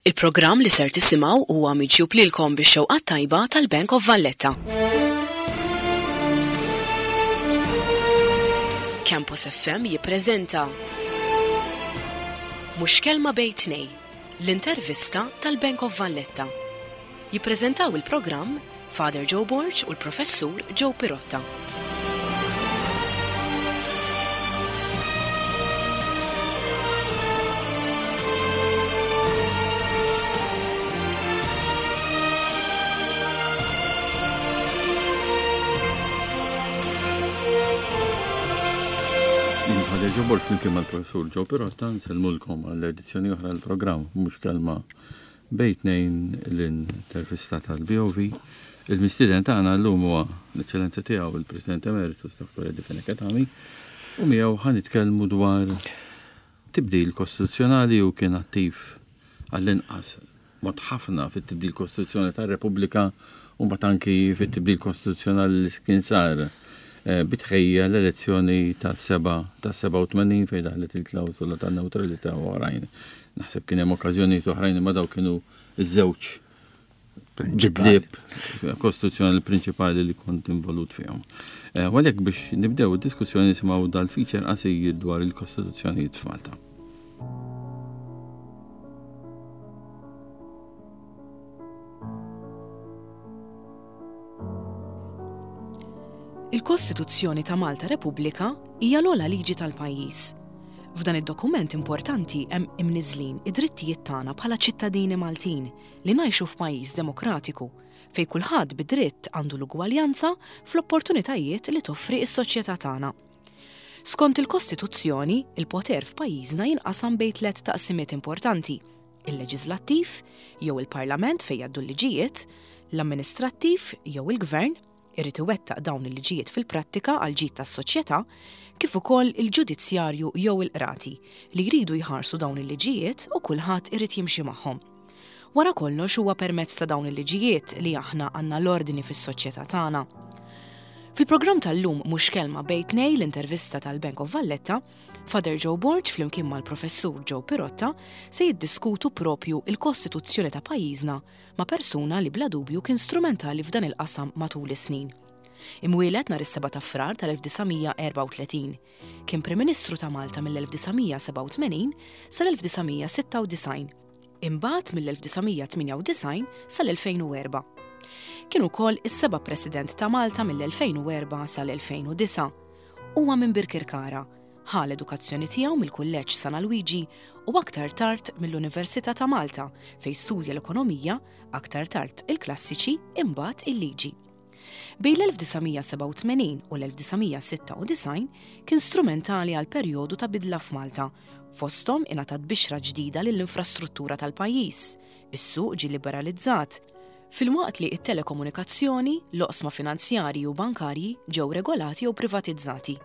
Il-programm li ser tisimgħu huwa miġjub lilkom bix-xewqat tajba tal-Bank of Valletta. Campus FM jippreżenta Mhux Kelma Bejn Tnej, l-intervista tal-Bank of Valletta. Jippreżentaw il-programm Father Joe Borg u l-Professur Joe Pirotta. Father Joe Borg flimkien mal-Professur Joe Pirotta nsellmulkom għall-edizzjoni oħra l-programm mhux kelma Bejn tnejn l-intervista tal-BOV, il-mistieden tagħna llum huwa l-Eċċellenza Tiegħu il-President Emeritus Dr. Eddie Fenech Adami u miegħu ħa nitkellmu dwar tibdil kostituzzjonali u kien attiv għall-inqas mod ħafna fit-tibdil kostituzzjonali tar-Repubblika u mbagħad anki fit-tibdil kostituzzjonali li kien sar eh, bitħejja l-elezzjoni tas-87 fejn daħlet il-klawsola tan-newtralità u oħrajn. Naħseb kien hemm okkażjonijiet oħrajn imma daw kienu iż-żewġ bidliet kostituzzjonali prinċipali li kont involut fihom. Eh, u għalhekk biex nibdew id-diskussjoni nisimgħu dal-feature qasir dwar il-kostituzzjonijiet f'Malta. Il-Kostituzzjoni ta' Malta Repubblika hija l-ogħla liġi tal-pajjiż. F'dan id-dokument importanti hemm imniżżlin id-drittijiet tagħna bħala ċittadini Maltin li ngħixu f'pajjiż demokratiku fejn kulħadd bi dritt għandu l-ugwaljanza fl-opportunitajiet li toffri s-soċjetà tagħna. Skont il-Kostituzzjoni, il-poter f'pajjiżna jinqasam bejn tlett taqsimiet importanti, il-leġiżlattiv, jew il-Parlament fejn jgħaddu l-liġijiet, l-amministrattiv, jew il-Gvern, irid iwettaq dawn il-liġijiet fil-prattika għall-ġid tas-soċjetà, kif ukoll il-ġudizzjarju jew il-qrati, li jridu jħarsu dawn il-liġijiet u kulħadd irid jimxi magħhom. Wara kollox huwa permezz ta' dawn il-liġijiet li aħna għandna l-ordni fis-soċjetà tagħna. Fil-programm tal-lum Mhux Kelma Bejn Tnejn l-intervista tal-Bank of Valletta, Father Joe Borg flimkien mal-Professur Joe Pirotta se jiddiskutu propju il-Kostituzzjoni ta' pajjiżna ma' persuna li bla dubju kien strumentali f'dan il-qasam matul is-snin. Imwieled nhar is-7 ta' Frar tal-1934, kien Prim Ministru ta' Malta mill-1987 sal-1996. Imbagħad mill-1998 sal-2004. Kien ukoll is-seba' President ta' Malta mill-2004 sal-2009. Huwa minn Birkirkara. Ħa l-edukazzjoni tiegħu mill-Kulleġġ San Alwiġi u aktar tard mill-Università ta' Malta fejn studja l-Ekonomija, aktar tard il-Klassiċi, imbagħad il-Liġi. Bejn l-1987 u l-1996 kien strumentali għal perjodu ta' bidla f'Malta, fosthom ingħatat bixra ġdida lill-infrastruttura tal-pajjiż, is-suq ġie liberalizzat, filwaqt li t-telekomunikazzjoni, l-oqsma finanzjarji u bankarji ġew regolati jew privatizzati.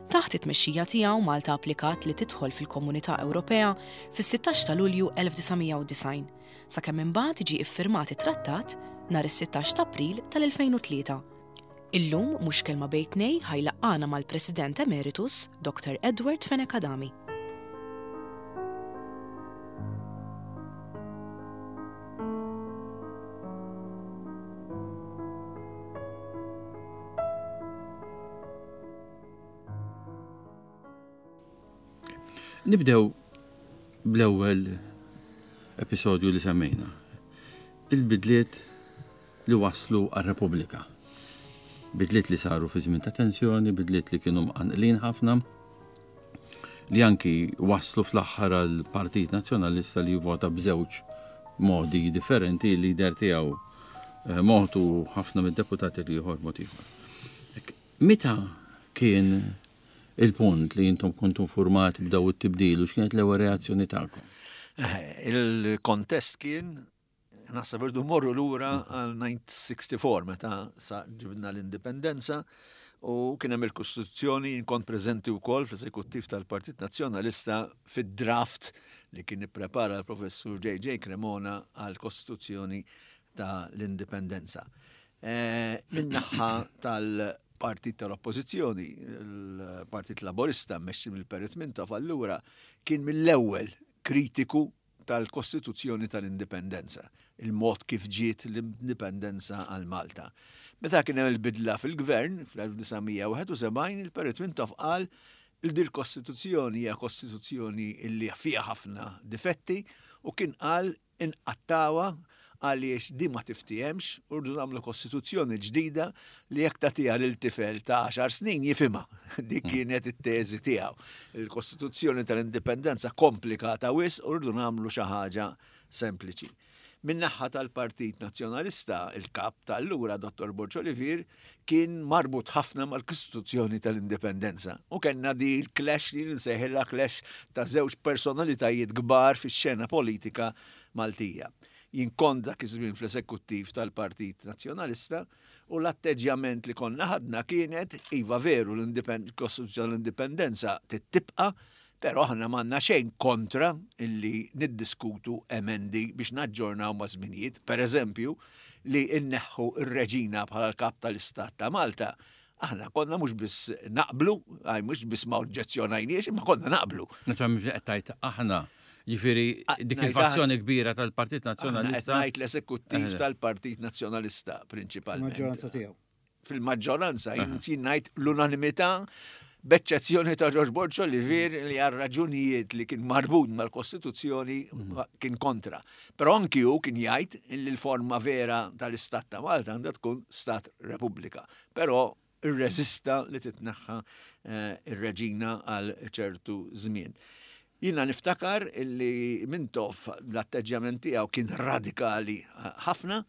Taħt it-tmexxija tiegħu Malta applikat li tidħol fil-Komunità Ewropea fis-16 ta' Lulju 1990. sakemm imbagħad ġie iffirmat it-trattat nhar is-16 ta' April tal-2003. Illum mhux kelma bejn tnej ħa jlaqqagħna mal-President Emeritus Dr. Edward Fenech Adami. Nibdew bl-ewwel episodju li semmejna. Il-bidliet li waslu għar-Repubblika. Bidliet li saru fi żmien ta' tensjoni, bidliet li kienu mqanqlin ħafna, li anki waslu fl-aħħar għal Partit Nazzjonalista li jivvota b'żewġ modi differenti, il-lider tiegħu eh, mod u ħafna mid-deputati li ieħor mod ieħor. Meta kien il-punt li intom kontu informati b'daw it-tibdil u x'kienet l-ewwel reazzjoni tagħkom? Eh, il-kontest kien naħseb irdu morru lura għal 1964 meta sa ġibna l-indipendenza u kien hemm il-Kostituzzjoni kont preżenti wkoll fl-eżekuttiv tal-Partit Nazzjonalista fid-draft li kien ipprepara l-Professur J.J. Cremona għall-Kostituzzjoni ta' l-Indipendenza. Eh, min-naħa tal-partit tal-oppożizzjoni, il-Partit Laborista mmexxi mill-Perit Mintoff allura kien mill-ewwel kritiku tal-Kostituzzjoni tal-Indipendenza, il-mod kif ġiet l-Indipendenza għal Malta. Meta kien hemm il-bidla fil-gvern fl-1971, il-Perit Mintoff qal il dil kostituzzjoni hija kostituzzjoni li fiha ħafna difetti u kien qal inqattgħuha għaliex din ma tiftihemx u rridu nagħmlu kostituzzjoni ġdida li jekk tagħtiha lil tifel ta' għaxar snin jifhimha. Dik hmm. kienet it-teżi tiegħu. Il-Kostituzzjoni tal-Indipendenza komplikata wisq u rridu nagħmlu xi ħaġa sempliċi. Min-naħa tal-Partit Nazzjonalista, il-kap ta' allura Dottor Borg Olivier kien marbut ħafna mal-Kostituzzjoni tal-Indipendenza. U kellna di l-clash li nsejħilha clash ta' żewġ personalitajiet kbar fix-xena politika Maltija. Jien kont dak iż-żmien fl-eżekuttiv tal-Partit Nazzjonalista u l-atteġġjament li konna ħadna kienet iva veru l-Kostituzzjoni tal-Indipendenza tibqa' Però aħna m'għandna xejn kontra illi niddiskutu emendi biex naġġornaw maż-żminijiet. Per eżempju, li nneħħu r-reġina bħala l-kap tal-Istat ta' Malta, aħna konna mhux biss naqblu, għaj mhux biss ma oġġezzjonajniex, imma konna naqblu. Naturalment qed tgħid aħna, jiġifieri dik il-fazzjoni kbira tal-Partit Nazzjonalista. Ngħid l-eżekuttiv tal-Partit Nazzjonalista prinċipalment. Maġġoranza tiegħu. fil-maġġoranza, jien ngħid l-unanimità b'eċċezzjoni ta' George Borg Olivier li għal raġunijiet li kien marbut mal-Kostituzzjoni mhm. kien kontra. Però anki hu kien jgħid li l-forma vera tal-Istat ta' Malta għandha tkun Stat Repubblika. Però irreżista li titneħħa eh, ir-reġina għal ċertu żmien. Jiena niftakar illi Mintoff l-atteġġjament tiegħu kien radikali ħafna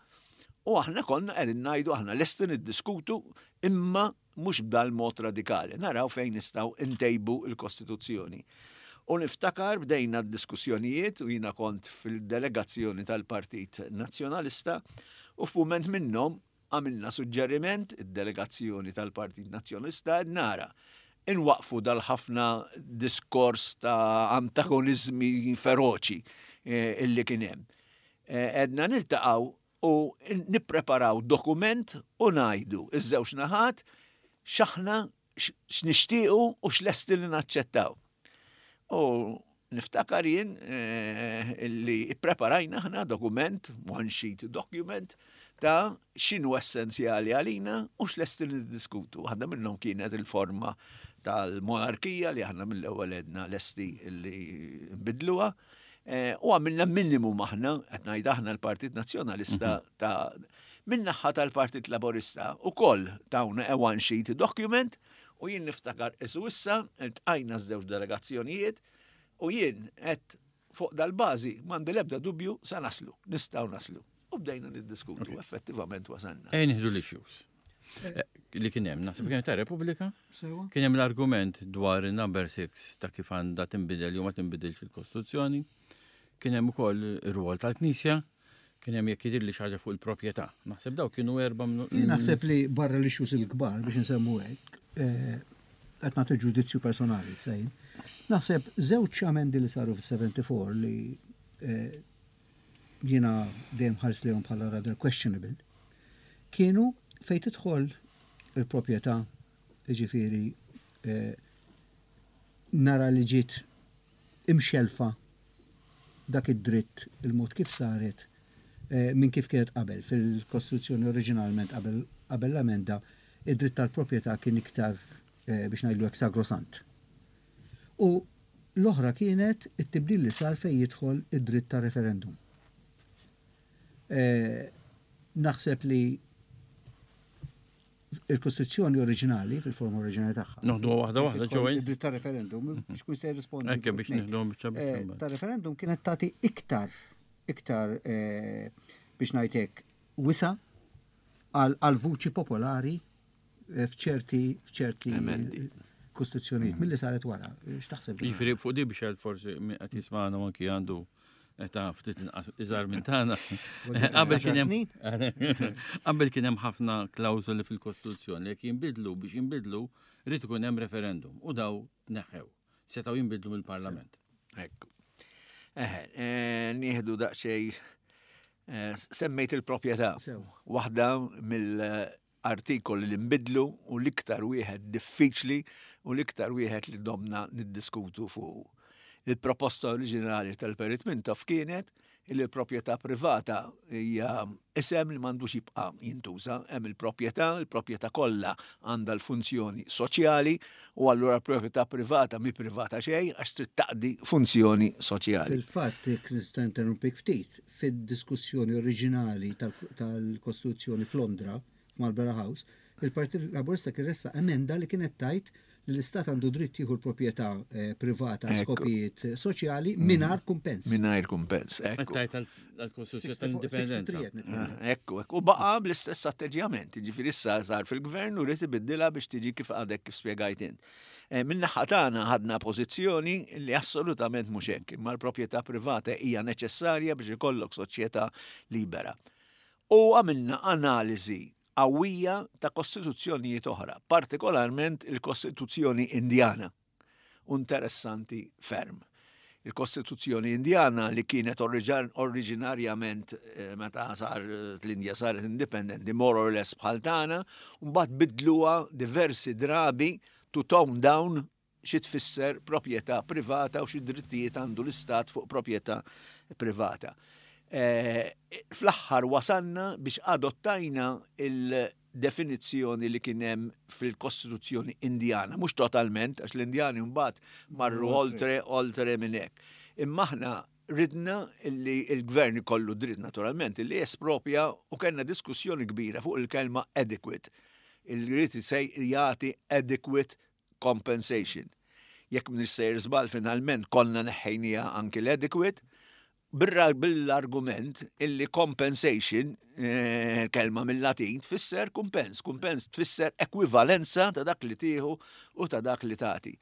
u aħna konna qegħdin ngħidu aħna lesti niddiskutu imma mhux b'dal-mod radikali, naraw fejn nistgħu ntejbu l-Kostituzzjoni. U niftakar bdejna d-diskussjonijiet u jiena kont fil-delegazzjoni tal-Partit Nazzjonalista u f'mument minnhom Għamilna suġġeriment, id-delegazzjoni tal-Partit Nazzjonalista qed nara inwaqqfu dal-ħafna diskors ta' antagoniżmi feroċi eh, illi kien hemm. Eh, għedna niltaqgħu u nippreparaw dokument u ngħidu iż-żewġ naħat x'aħna x'nixtiequ u x'lesti li naċċettaw. U niftakar jien eh, li ippreparajna aħna dokument, one sheet document, ta' x'inhu essenzjali għalina u x'lesti li niddiskutu. Waħda minnhom kienet il-forma tal-monarkija li aħna mill-ewwel għedna lesti li nbidluha. Eh, u għamilna minimum aħna, qed ngħid aħna l-Partit Nazzjonalista mhm. ta' min-naħa tal-Partit Laburista ukoll tawna a one sheet document u jien niftakar isu issa iltqajna ż-żewġ delegazzjonijiet u jien qed fuq dal-bażi m'għandi l-ebda dubju sa naslu, nistgħu naslu. U bdejna niddiskutu, effettivament wasalna. Ejja nieħdu l-issues. Eh, li kien hemm, naħseb kien ta' Repubblika, kien hemm l-argument dwar il-number 6 ta' kif għandha tinbidel jew ma tinbidilx il-Kostituzzjoni, kien hemm ukoll ir-rwol tal-Knisja, kien hemm jekk jidhirli xi ħaġa fuq il-proprjetà. Naħseb daw kienu erba' Jien naħseb li barra l-issues il-kbar biex insemmu hekk, eh, qed nagħti ġudizzju personali sejn. Naħseb żewġ amendi li saru fis-74 li eh, jiena dejjem ħarist lejhom bħala rather questionable, kienu fejn tidħol il-proprjetà, jiġifieri eh, nara li ġiet imxellfa dak id-dritt il-mod kif saret eh, minn kif kienet qabel fil-Kostituzzjoni oriġinalment qabel qabel l-amenda id-dritt tal-proprjetà kien iktar eh, biex ngħidlu hekk sagrosant. U l-oħra kienet it-tibdil li sar fejn jidħol id-dritt ta' referendum. Naħseb li il-Kostituzzjoni oriġinali, fil-forma oriġinali tagħha. Noħdu waħda waħda ġewwa. Id-dritt ta' referendum, biex kun se jirrispondi. Anke biex nieħdu biċċa biċċa. Ta' referendum kienet tagħti iktar iktar biex ngħid hekk wisa' għal vuċi popolari Eh, f'ċerti f'ċerti kostituzzjonijiet mm. milli saret wara. X'taħseb? Jiġifieri fuq di biex forsi qed jismagħna anki għandu ta' ftit iżgħar minn tagħna. Qabel kien hemm qabel kien hemm ħafna klawżoli fil-Kostituzzjoni jekk jinbidlu biex jinbidlu rrid ikun hemm referendum u daw tneħħew. Setgħu jinbidlu mill-Parlament. Ekku. Eħe, eh, nieħdu daqsxejn eh, semmejt il-proprjetà. Waħda mill artikoli li nbidlu u l-iktar wieħed diffiċli u l-iktar wieħed li domna niddiskutu fuqu. Il-proposta oriġinali tal-Perit Mintoff kienet li l-proprjetà privata hija isem li m'għandux jibqa' jintuża. Hemm il-proprjetà, il-proprjetà kollha għandha l-funzjoni soċjali u allura l-proprjetà privata mhi privata xejn għax trid taqdi funzjoni soċjali. Fil-fatt, jekk nista' interrompik ftit, fid-diskussjoni oriġinali tal-Kostituzzjoni f'Londra, f'Marlborough House, il-Partit Laburista kien ressaq emenda li kienet tgħid li l-Istat għandu dritt jieħu l-proprjetà eh, privata għal skopijiet soċjali mm. mingħajr kumpens. Mingħajr kumpens, ekku. Tajt għall-Kostituzzjoni tal-Indipendenza. Eh, ekku, ekku. U baqa' bl-istess atteġġjament, ġifieri issa sar fil-gvern u rrid ibiddilha biex tiġi kif għadek kif spjegajt int. Eh, min-naħa tagħna ħadna pożizzjoni li assolutament mhux hekk, imma l-proprjetà privata hija neċessarja biex ikollok soċjetà libera. U għamilna analiżi qawwija ta' kostituzzjonijiet oħra, partikolarment il-Kostituzzjoni Indjana. U interessanti ferm. Il-Kostituzzjoni Indjana li kienet oriġinarjament eh, meta sar l-Indja saret indipendenti more or less bħal tagħna, mbagħad bidluha diversi drabi to tone down xi tfisser proprjetà privata u xi drittijiet għandu l-istat fuq proprjetà privata. Eh, fl-aħħar wasalna biex adottajna il-definizzjoni li kien hemm fil-Kostituzzjoni Indjana, mhux totalment, għax l-Indjani mbagħad marru oltre oltre minn hekk. Imma aħna ridna li l-gvern ikollu dritt naturalment li jespropja u kellna diskussjoni kbira fuq il-kelma adequate. Il-ried se jagħti adequate compensation. Jekk m'iniex sejjer żball finalment konna neħħejniha anki l-adequate, bil-argument illi compensation, eh, kelma mill-Latin, tfisser kumpens, kumpens tfisser ekwivalenza ta' dak li tieħu u ta' dak li tagħti.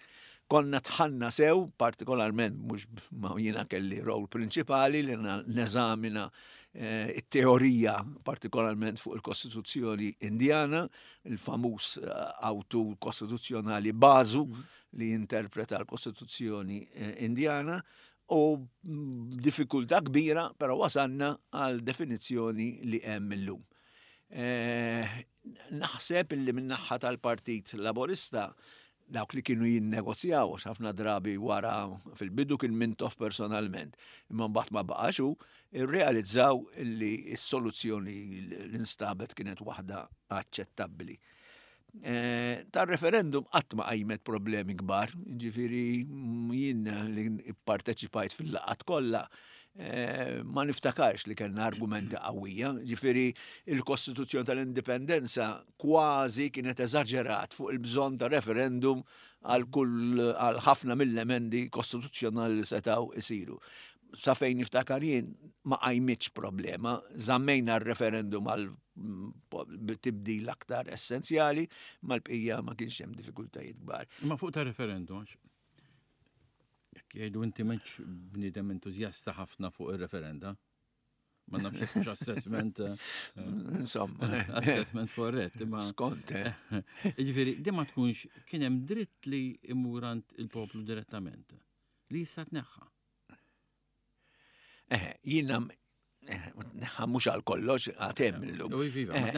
Konna tħanna sew, partikolarment mhux ma jiena kelli rol prinċipali li neżamina eh, it-teorija partikolarment fuq il-Kostituzzjoni Indjana, il-famuż eh, awtur kostituzzjonali Bazu mm. li interpreta l-Kostituzzjoni eh, Indjana u mm, diffikultà kbira, però wasalna għal definizzjoni li hemm illum. Eh, naħseb illi min-naħa tal-Partit Laborista dawk li kienu jinnegozjaw, għax ħafna drabi wara fil-bidu kien Mintoff personalment, imma mbagħad ma baqax hu, irrealizzaw li s-soluzzjoni li nstabet kienet waħda aċċettabbli. Eh, tar-referendum qatt ma qajmet problemi kbar, ġifieri jien li pparteċipajt fil-laqgħat kollha eh, ma niftakarx li kellna argumenti qawwija, ġifieri il-Kostituzzjoni tal-Indipendenza kważi kienet eżaġerat fuq il-bżonn ta' referendum għal kull għal ħafna mill-emendi kostituzzjonali li setgħu isiru. Sa fejn niftakar jien ma qajmitx problema, żammejna r-referendum għal mm, tibdil aktar essenzjali, mal-bqija ma kienx hemm diffikultajiet kbar. Ma fuq ta' referendum, jekk jgħidu inti m'intx bniedem entużjasta ħafna fuq ir-referenda, Ma nafx jekk assessment. Eh, Insomma. Assessment korrett. Imma. Skont. Eh. Ġifieri, di ma tkunx kien hemm dritt li imur għand il-poplu direttament. Li jista' tneħħa. Eh, jiena neħħa mhux għal kollox għatem illum.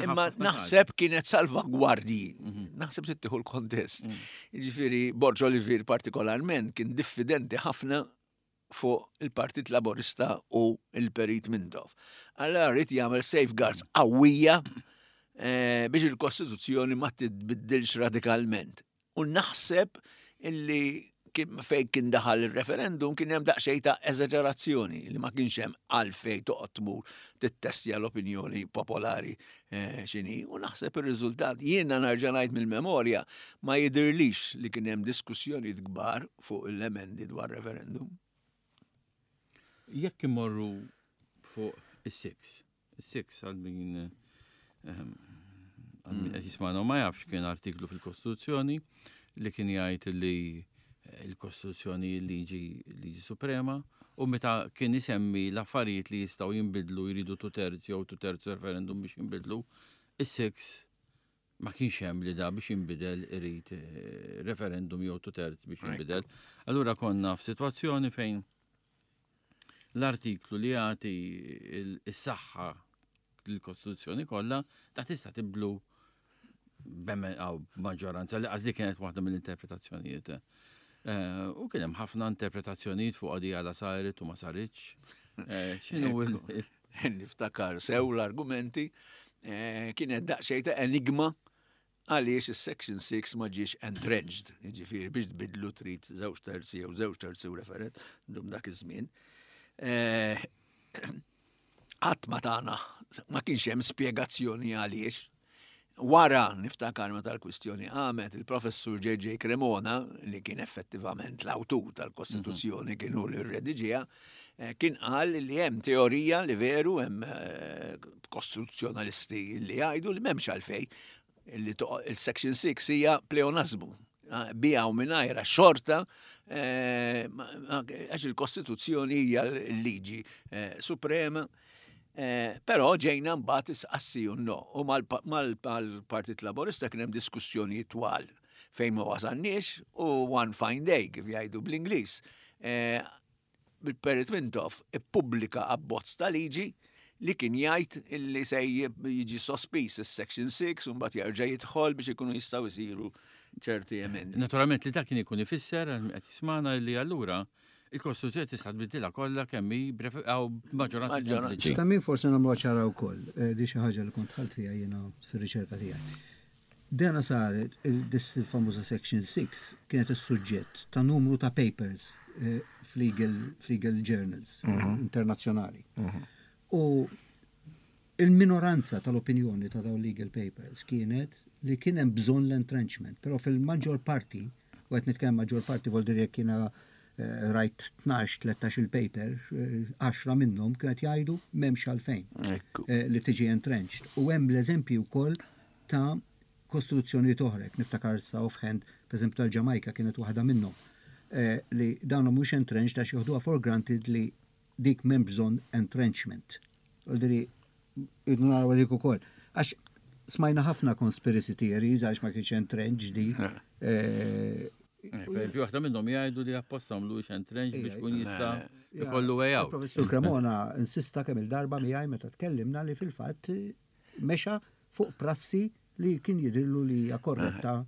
Imma naħseb kienet salvagwardji, mhm. naħseb tittieħu l-kontest. Mm. Ġifieri Borġ Olivier partikolarment kien diffidenti ħafna fuq il-Partit Laburista u il-Perit Mintoff. Allora rrid jagħmel safeguards qawwija eh, biex il-Kostituzzjoni ma titbiddilx radikalment. U naħseb illi fejn kien daħal il-referendum kien hemm daqsxejn ta' eżaġerazzjoni li ma kienx hemm għalfejn toqgħod tmur tittestja l-opinjoni popolari eh, x'inhi. U naħseb ir-riżultat jiena nerġa' ngħid mill-memorja ma jidhirlix li kien hemm diskussjonijiet kbar fuq l-emendi dwar referendum. Jekk imorru fuq is-six, is-six għal min ehm, għal min qed jismagħna ma jafx kien artiklu fil-Kostituzzjoni li kien jgħid li il-Kostituzzjoni liġi liġi suprema u meta kien isemmi l-affarijiet li jistgħu jinbidlu jridu two terzi jew two terzi referendum biex jinbidlu, is-six ma kienx hemm li da biex jinbidel irid eh, referendum jew two terzi biex jinbidel. Allura konna f'sitwazzjoni fejn l-artiklu li jagħti s-saħħa l-Kostituzzjoni kollha ta' tista' tibdlu b'maġġoranza li għażli kienet waħda mill-interpretazzjonijiet. U kien hemm ħafna interpretazzjonijiet fuq għadi għala saret u ma saritx. X'inhu il- Niftakar sew l-argumenti, kienet daqsxejn ta' enigma għaliex is-Section 6 ma ġiex entrenched, jiġifieri biex tbidlu trid żewġ terzi jew żewġ terzi u referendum dak iż-żmien. Qatt ma tana, ma kienx hemm spjegazzjoni għaliex. Wara niftakar meta l-kwistjoni qamet, il-professur J.J. Cremona, li kien effettivament l-awtur tal-Kostituzzjoni, kien hu li rrediġiha, kien qal li hemm teorija li veru hemm kostituzzjonalisti li jgħidu li m'hemmx għalfejn li il-Section 6 hija pleonasmu. Biha u mingħajrha xorta għax il-Kostituzzjoni hija l-liġi suprema. Però ġejna mbagħad isqassi u no. U mal-Partit Laburista kien hemm diskussjonijiet twal fejn ma wasalniex u one fine day kif jgħidu bl-Ingliż. Bil-Perit Mintoff ippubblika abbozz ta' liġi li kien jgħid illi se jiġi sospiż is-Section 6 u mbagħad jerġa' jidħol biex ikunu jistgħu jsiru ċerti emendi. Naturalment li dak kien ikun ifisser għal min qed jismagħna li allura il-Kostituzzjoni tista' tbiddilha kollha kemm hi b'maġġoranza sempliċi. Ta' min forsi nagħmluha ċara wkoll, di xi ħaġa li kont dħalt fiha jiena fir-riċerka tiegħi. Dena saret, dis il-famuża Section 6 kienet is-suġġett ta' numru ta' papers f'legal journals internazzjonali. U il-minoranza tal-opinjoni ta' dawn legal papers kienet li kien hemm bżonn l-entrenchment, però fil-maġġor parti, u qed nitkellem maġġor parti vuol dire jekk jiena rajt 12-13 il-paper, 10 minnhom kienet jgħidu m'hemmx għalfejn li tiġi entrenched. U hemm l-eżempji wkoll ta' kostituzzjonijiet oħra, jekk niftakar sa offhand, pereżempju tal-Ġamajka kienet waħda minnhom, li dawn mhux entrenched għax joħduha for granted li dik m'hemm bżonn entrenchment. Vuol dire irridu naraw dik ukoll. Għax smajna ħafna conspiracy theories għax ma kienx entrenched di. Per esempio, waħda minnhom jgħidu li apposta għamlu entrenched biex kun jista' jkollu way out. Professur Cremona insista kemm il-darba miegħi meta tkellimna li fil-fatt mexa fuq prassi li kien jidhirlu li hija korretta.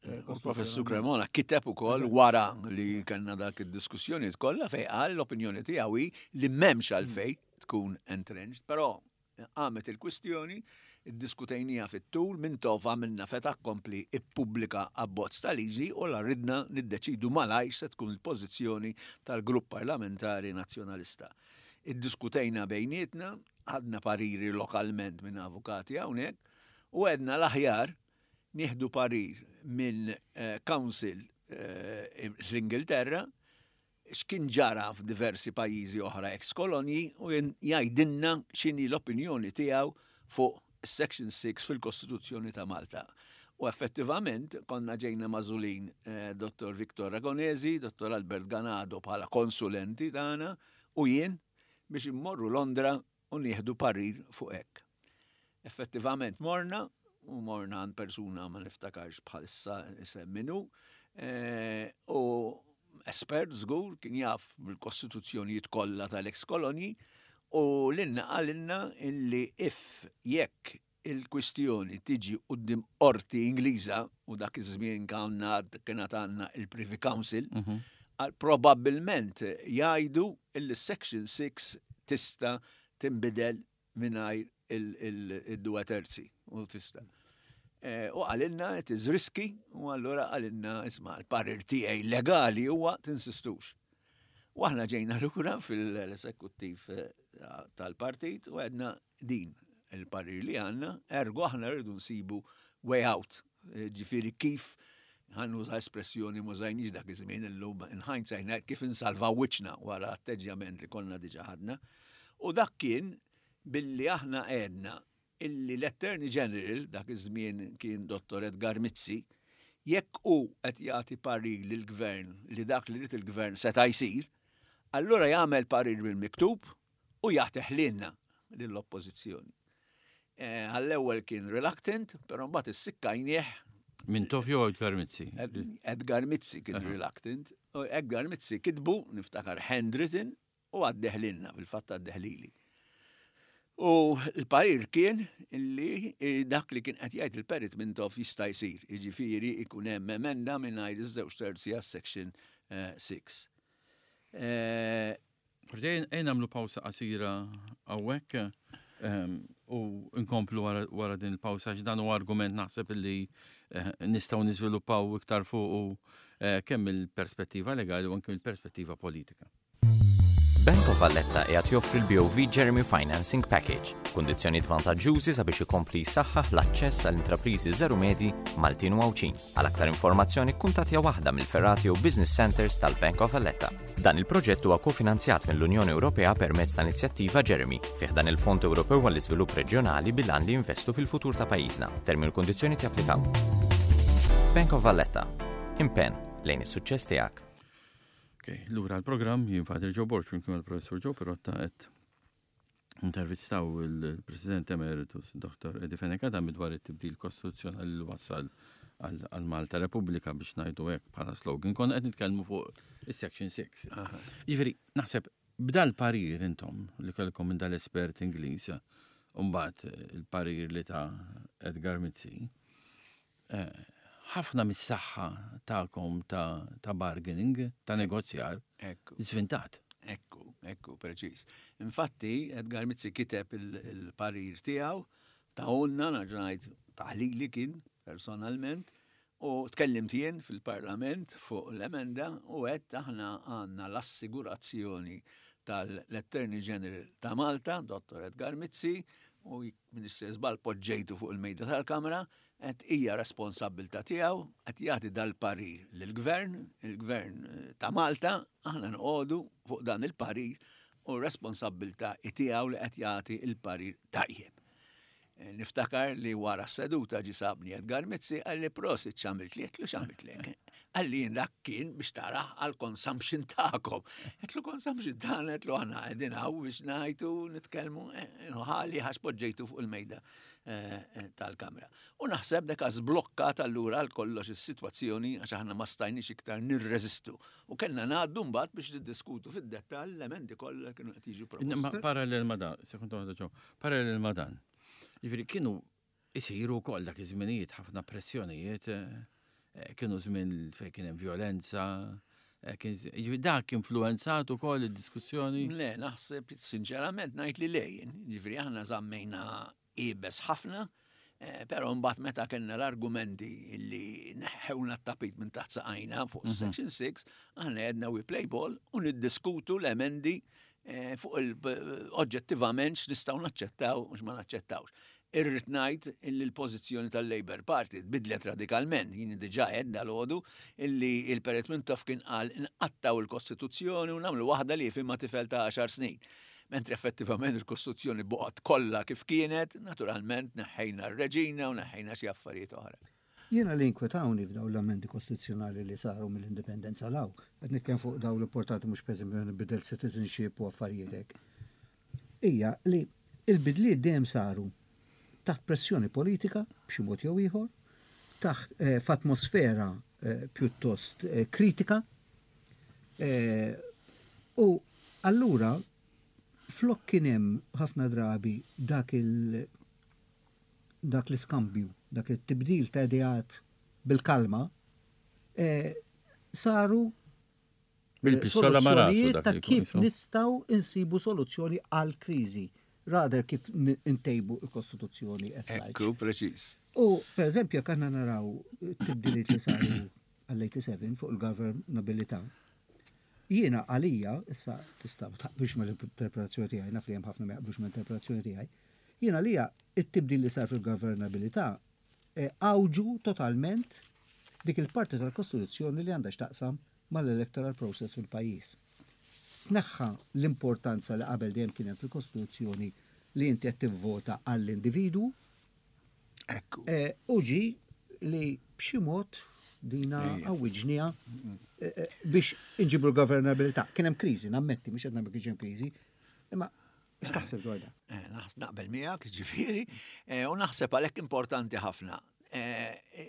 U Professur Cremona kiteb ukoll wara li kellna dak id-diskussjoni kollha fejn qal l-opinjoni tiegħu hi li m'hemmx għalfejn tkun entrenched, però qamet il-kwistjoni, iddiskutejniha fit-tul, Mintoff għamilna fait accompli ippubblika abbozz ta' liġi u la ridna niddeċidu malajr se tkun il-pożizzjoni tal-grupp parlamentari Nazzjonalista. Iddiskutejna bejnietna, ħadna pariri lokalment minn avukati hawnhekk u għedna l-aħjar nieħdu parir minn council fl-Ingilterra x'kien ġara f'diversi pajjiżi oħra ex-kolonji u jgħidilna x'inhi l-opinjoni tiegħu fuq Section 6 fil-Kostituzzjoni ta' Malta. U effettivament konna ġejna magħżulin Dottor Victor Ragonesi, Dottor Albert Ganado bħala konsulenti tagħna u jien biex immorru Londra u nieħdu parir fuq hekk. Effettivament morna, u morna għand persuna ma niftakarx bħalissa isem min hu, u espert żgur kien jaf bil-kostituzzjonijiet kollha tal-ex kolonji u lilna qalilna illi if jekk il-kwistjoni tiġi quddiem qorti Ingliża u dak iż-żmien kien għad għandna il-Privy Council, għal probabbilment jgħidu illi Section 6 tista' tinbidel mingħajr il-due terzi u tista'. U qalilna it is risky u allura qalilna isma' l-parir tiegħi legali huwa tinsistux. U aħna ġejna lura fil-esekuttiv tal-partit u għedna din il-parir li għandna, ergo aħna rridu nsibu way out, ġifieri kif ħa nuża espressjoni m'użajniex dak iż-żmien illum in hindsight ngħid kif insalvaw wiċċna wara atteġġjament li konna diġà ħadna. U dak kien billi aħna għedna illi l-Attorney General, dak iż-żmien kien Dottor Edgar Mizzi, jekk hu qed jagħti parir lill-Gvern li dak li ried il-Gvern seta' jsir, allura jagħmel parir bil-miktub u jagħtih lilna, lill-Oppożizzjoni. Għall-ewwel kien reluctant, però mbagħad issikkajnieh. Mintoff jew Edgar Mizzi? Edgar Mizzi kien reluctant. Edgar Mizzi kitbu, niftakar handwritten, u għaddeh lilna, fil-fatt għaddeh lili. U l-parir kien li dak li kien qed jgħid il-Perit Mintoff jista' jsir, jiġifieri jkun hemm emenda mingħajr iż-żewġ terzi għas-section 6. 6. Eh, Forsi ejn nagħmlu pawsa qasira hawnhekk ehm, u nkomplu wara din il-pawsa għax dan huwa argument naħseb li eh, nistgħu niżviluppaw iktar fuq eh, kemm il-perspettiva legali u anke mill-perspettiva politika. Bank of Valletta qiegħed joffri l-BOV Jeremy Financing Package, kundizzjonijiet vantaġġjużi sabiex ikompli jsaħħaħ l-aċċess għal intrapriżi żeru medji Maltin u Għawdxin. Għal aktar informazzjoni kkuntattja waħda mill-fergħat jew business centers tal-Bank of Valletta. Dan il-proġett huwa kofinanzjat mill-Unjoni Ewropea permezz ta' inizjattiva Jeremy fi ħdan il-Fond Ewropew għall-Iżvilupp Reġjonali bil-għan li jinvestu fil-futur ta' pajjiżna. Termini u kundizzjonijiet japplikaw. Bank of Valletta. Impenn lejn is-suċċess tiegħek. Ok, lura l-programm jien Father Joe Borg flimkien mal-Professur Joe Pirotta qed intervistaw il-President Emeritus Dr. Eddie Fenech Adami dwar it-tibdil kostituzzjonali li wassal għal Malta Repubblika biex ngħidu hekk bħala slogan. Konna qed nitkellmu fuq is-Section 6. Jiġifieri, naħseb b'dal parir intom li kellkom minn dal-espert Ingliż, u mbagħad il-parir li ta' Edgar Mizzi, eh, ħafna mis-saħħa tagħkom ta' bargaining, ta' negozjar, żvintat. Ekku, ekku, preċiż. Infatti, Edgar Mizzi kiteb il-parir tiegħu ta' onna, ngħid taħlili kien personalment, u tkellimt jien fil-Parlament fuq l-emenda u għedt aħna għandna l-assigurazzjoni tal-Attorney General ta' Malta, Dottor Edgar Mizzi, u m'iniex żball poġġejtu fuq il-mejda tal-Kamra, qed hija responsabbiltà tiegħu, qed jagħti dal-parir lill-Gvern, il-Gvern ta' Malta, aħna noqogħdu fuq dan il-parir u r-responsabbiltà hi tiegħu li qed jagħti l-parir tajjeb. Niftakar li wara s-seduta ġie sabni Edgar Mizzi qalli prosit x'għamiltli, għedtlu x'għamiltlek. Qalli jien dak kien biex taraħ għal consumption tagħkom. Għedtlu consumption tagħna, għedtlu aħna qegħdin hawn biex ngħidu nitkellmu, ħali ħax poġġejtu fuq il-mejda tal-Kamra. U naħseb deka żblokkat allura għal kollox is-sitwazzjoni għax aħna ma stajniex iktar nirreżistu. U kellna ngħaddu mbagħad biex niddiskutu fid-dettall l-emendi kollha kienu qed jiġu proposti. Parallel ma dan, sekonda waħda ġew, parallel ma dan. Jiġifieri kienu isiru wkoll dak iż-żminijiet ħafna pressjonijiet, eh, kienu żmien fejn kien hemm violenza, eh, jiġifieri dak influenzat ukoll id-diskussjoni? Le, naħseb sinċerament ngħid li lejn, jiġifieri aħna żammejna iebes ħafna, eh, però mbagħad meta kellna l-argumenti li neħħewna t-tapit minn taħt saqajna fuq mhm. Section 6, aħna għedna we play ball u niddiskutu l-emendi eh, fuq il-oġġettivament x'nistgħu naċċettaw u x'ma naċċettawx. Irrid ngħid illi l-pożizzjoni tal-Labour Party tbiddlet radikalment, jien diġà għedt dalgħodu illi il-Perit Mintoff kien qal inqattgħu l-Kostituzzjoni u nagħmlu waħda li jifhimha tifel ta' għaxar snin. Mentri effettivament il-Kostituzzjoni baqgħet kollha kif kienet, naturalment neħħejna r-Reġina u neħħejna xi affarijiet oħra. Jiena li jinkwetawni f'dawn l-ammendi kostituzzjonali li saru mill-Indipendenza 'l hawn, qed nitkellem fuq dawn l-importanti mhux pereżempju meta nbidel citizenship u affarijiet hekk, hija li l-bidliet dejjem saru taħt pressjoni politika b'xi mod jew ieħor, taħt f'atmosfera pjuttost kritika u allura flok kien hemm ħafna drabi dak il dak l-iskambju, dak it-tibdil ta' ideat bil-kalma, saru soluzzjonijiet ta' kif nistgħu nsibu soluzzjoni għall-kriżi, rather kif ntejbu l-Kostituzzjoni as such. Ekku, preċiż. U, per eżempju, jekk aħna naraw it-tibdiliet li saru għall-87 fuq il-governabilità, jiena għalija, issa tista' ma taqbilx mal-interpretazzjoni tiegħi, naf li hemm ħafna ma jaqblux mal-interpretazzjoni tiegħi, Jien għalija t-tibdil li sar fil-governabilità għawġu totalment dik il-parti tal-Kostituzzjoni li għandha x'taqsam mal-electoral process fil-pajjiż. Tneħħa l-importanza li qabel dejjem kien hemm fil-Kostituzzjoni li inti qed tivvota għall-individwu. Ekku. U ġie li b'xi mod dina għawwiġniha biex inġibu l-governabilità. Kien hemm kriżi, nammetti, mhux qed ngħid ma kienx hemm kriżi, imma X'taħseb dwar dan? Eh, naqbel miegħek, ġifieri, eh, u naħseb għalhekk importanti ħafna. Eh,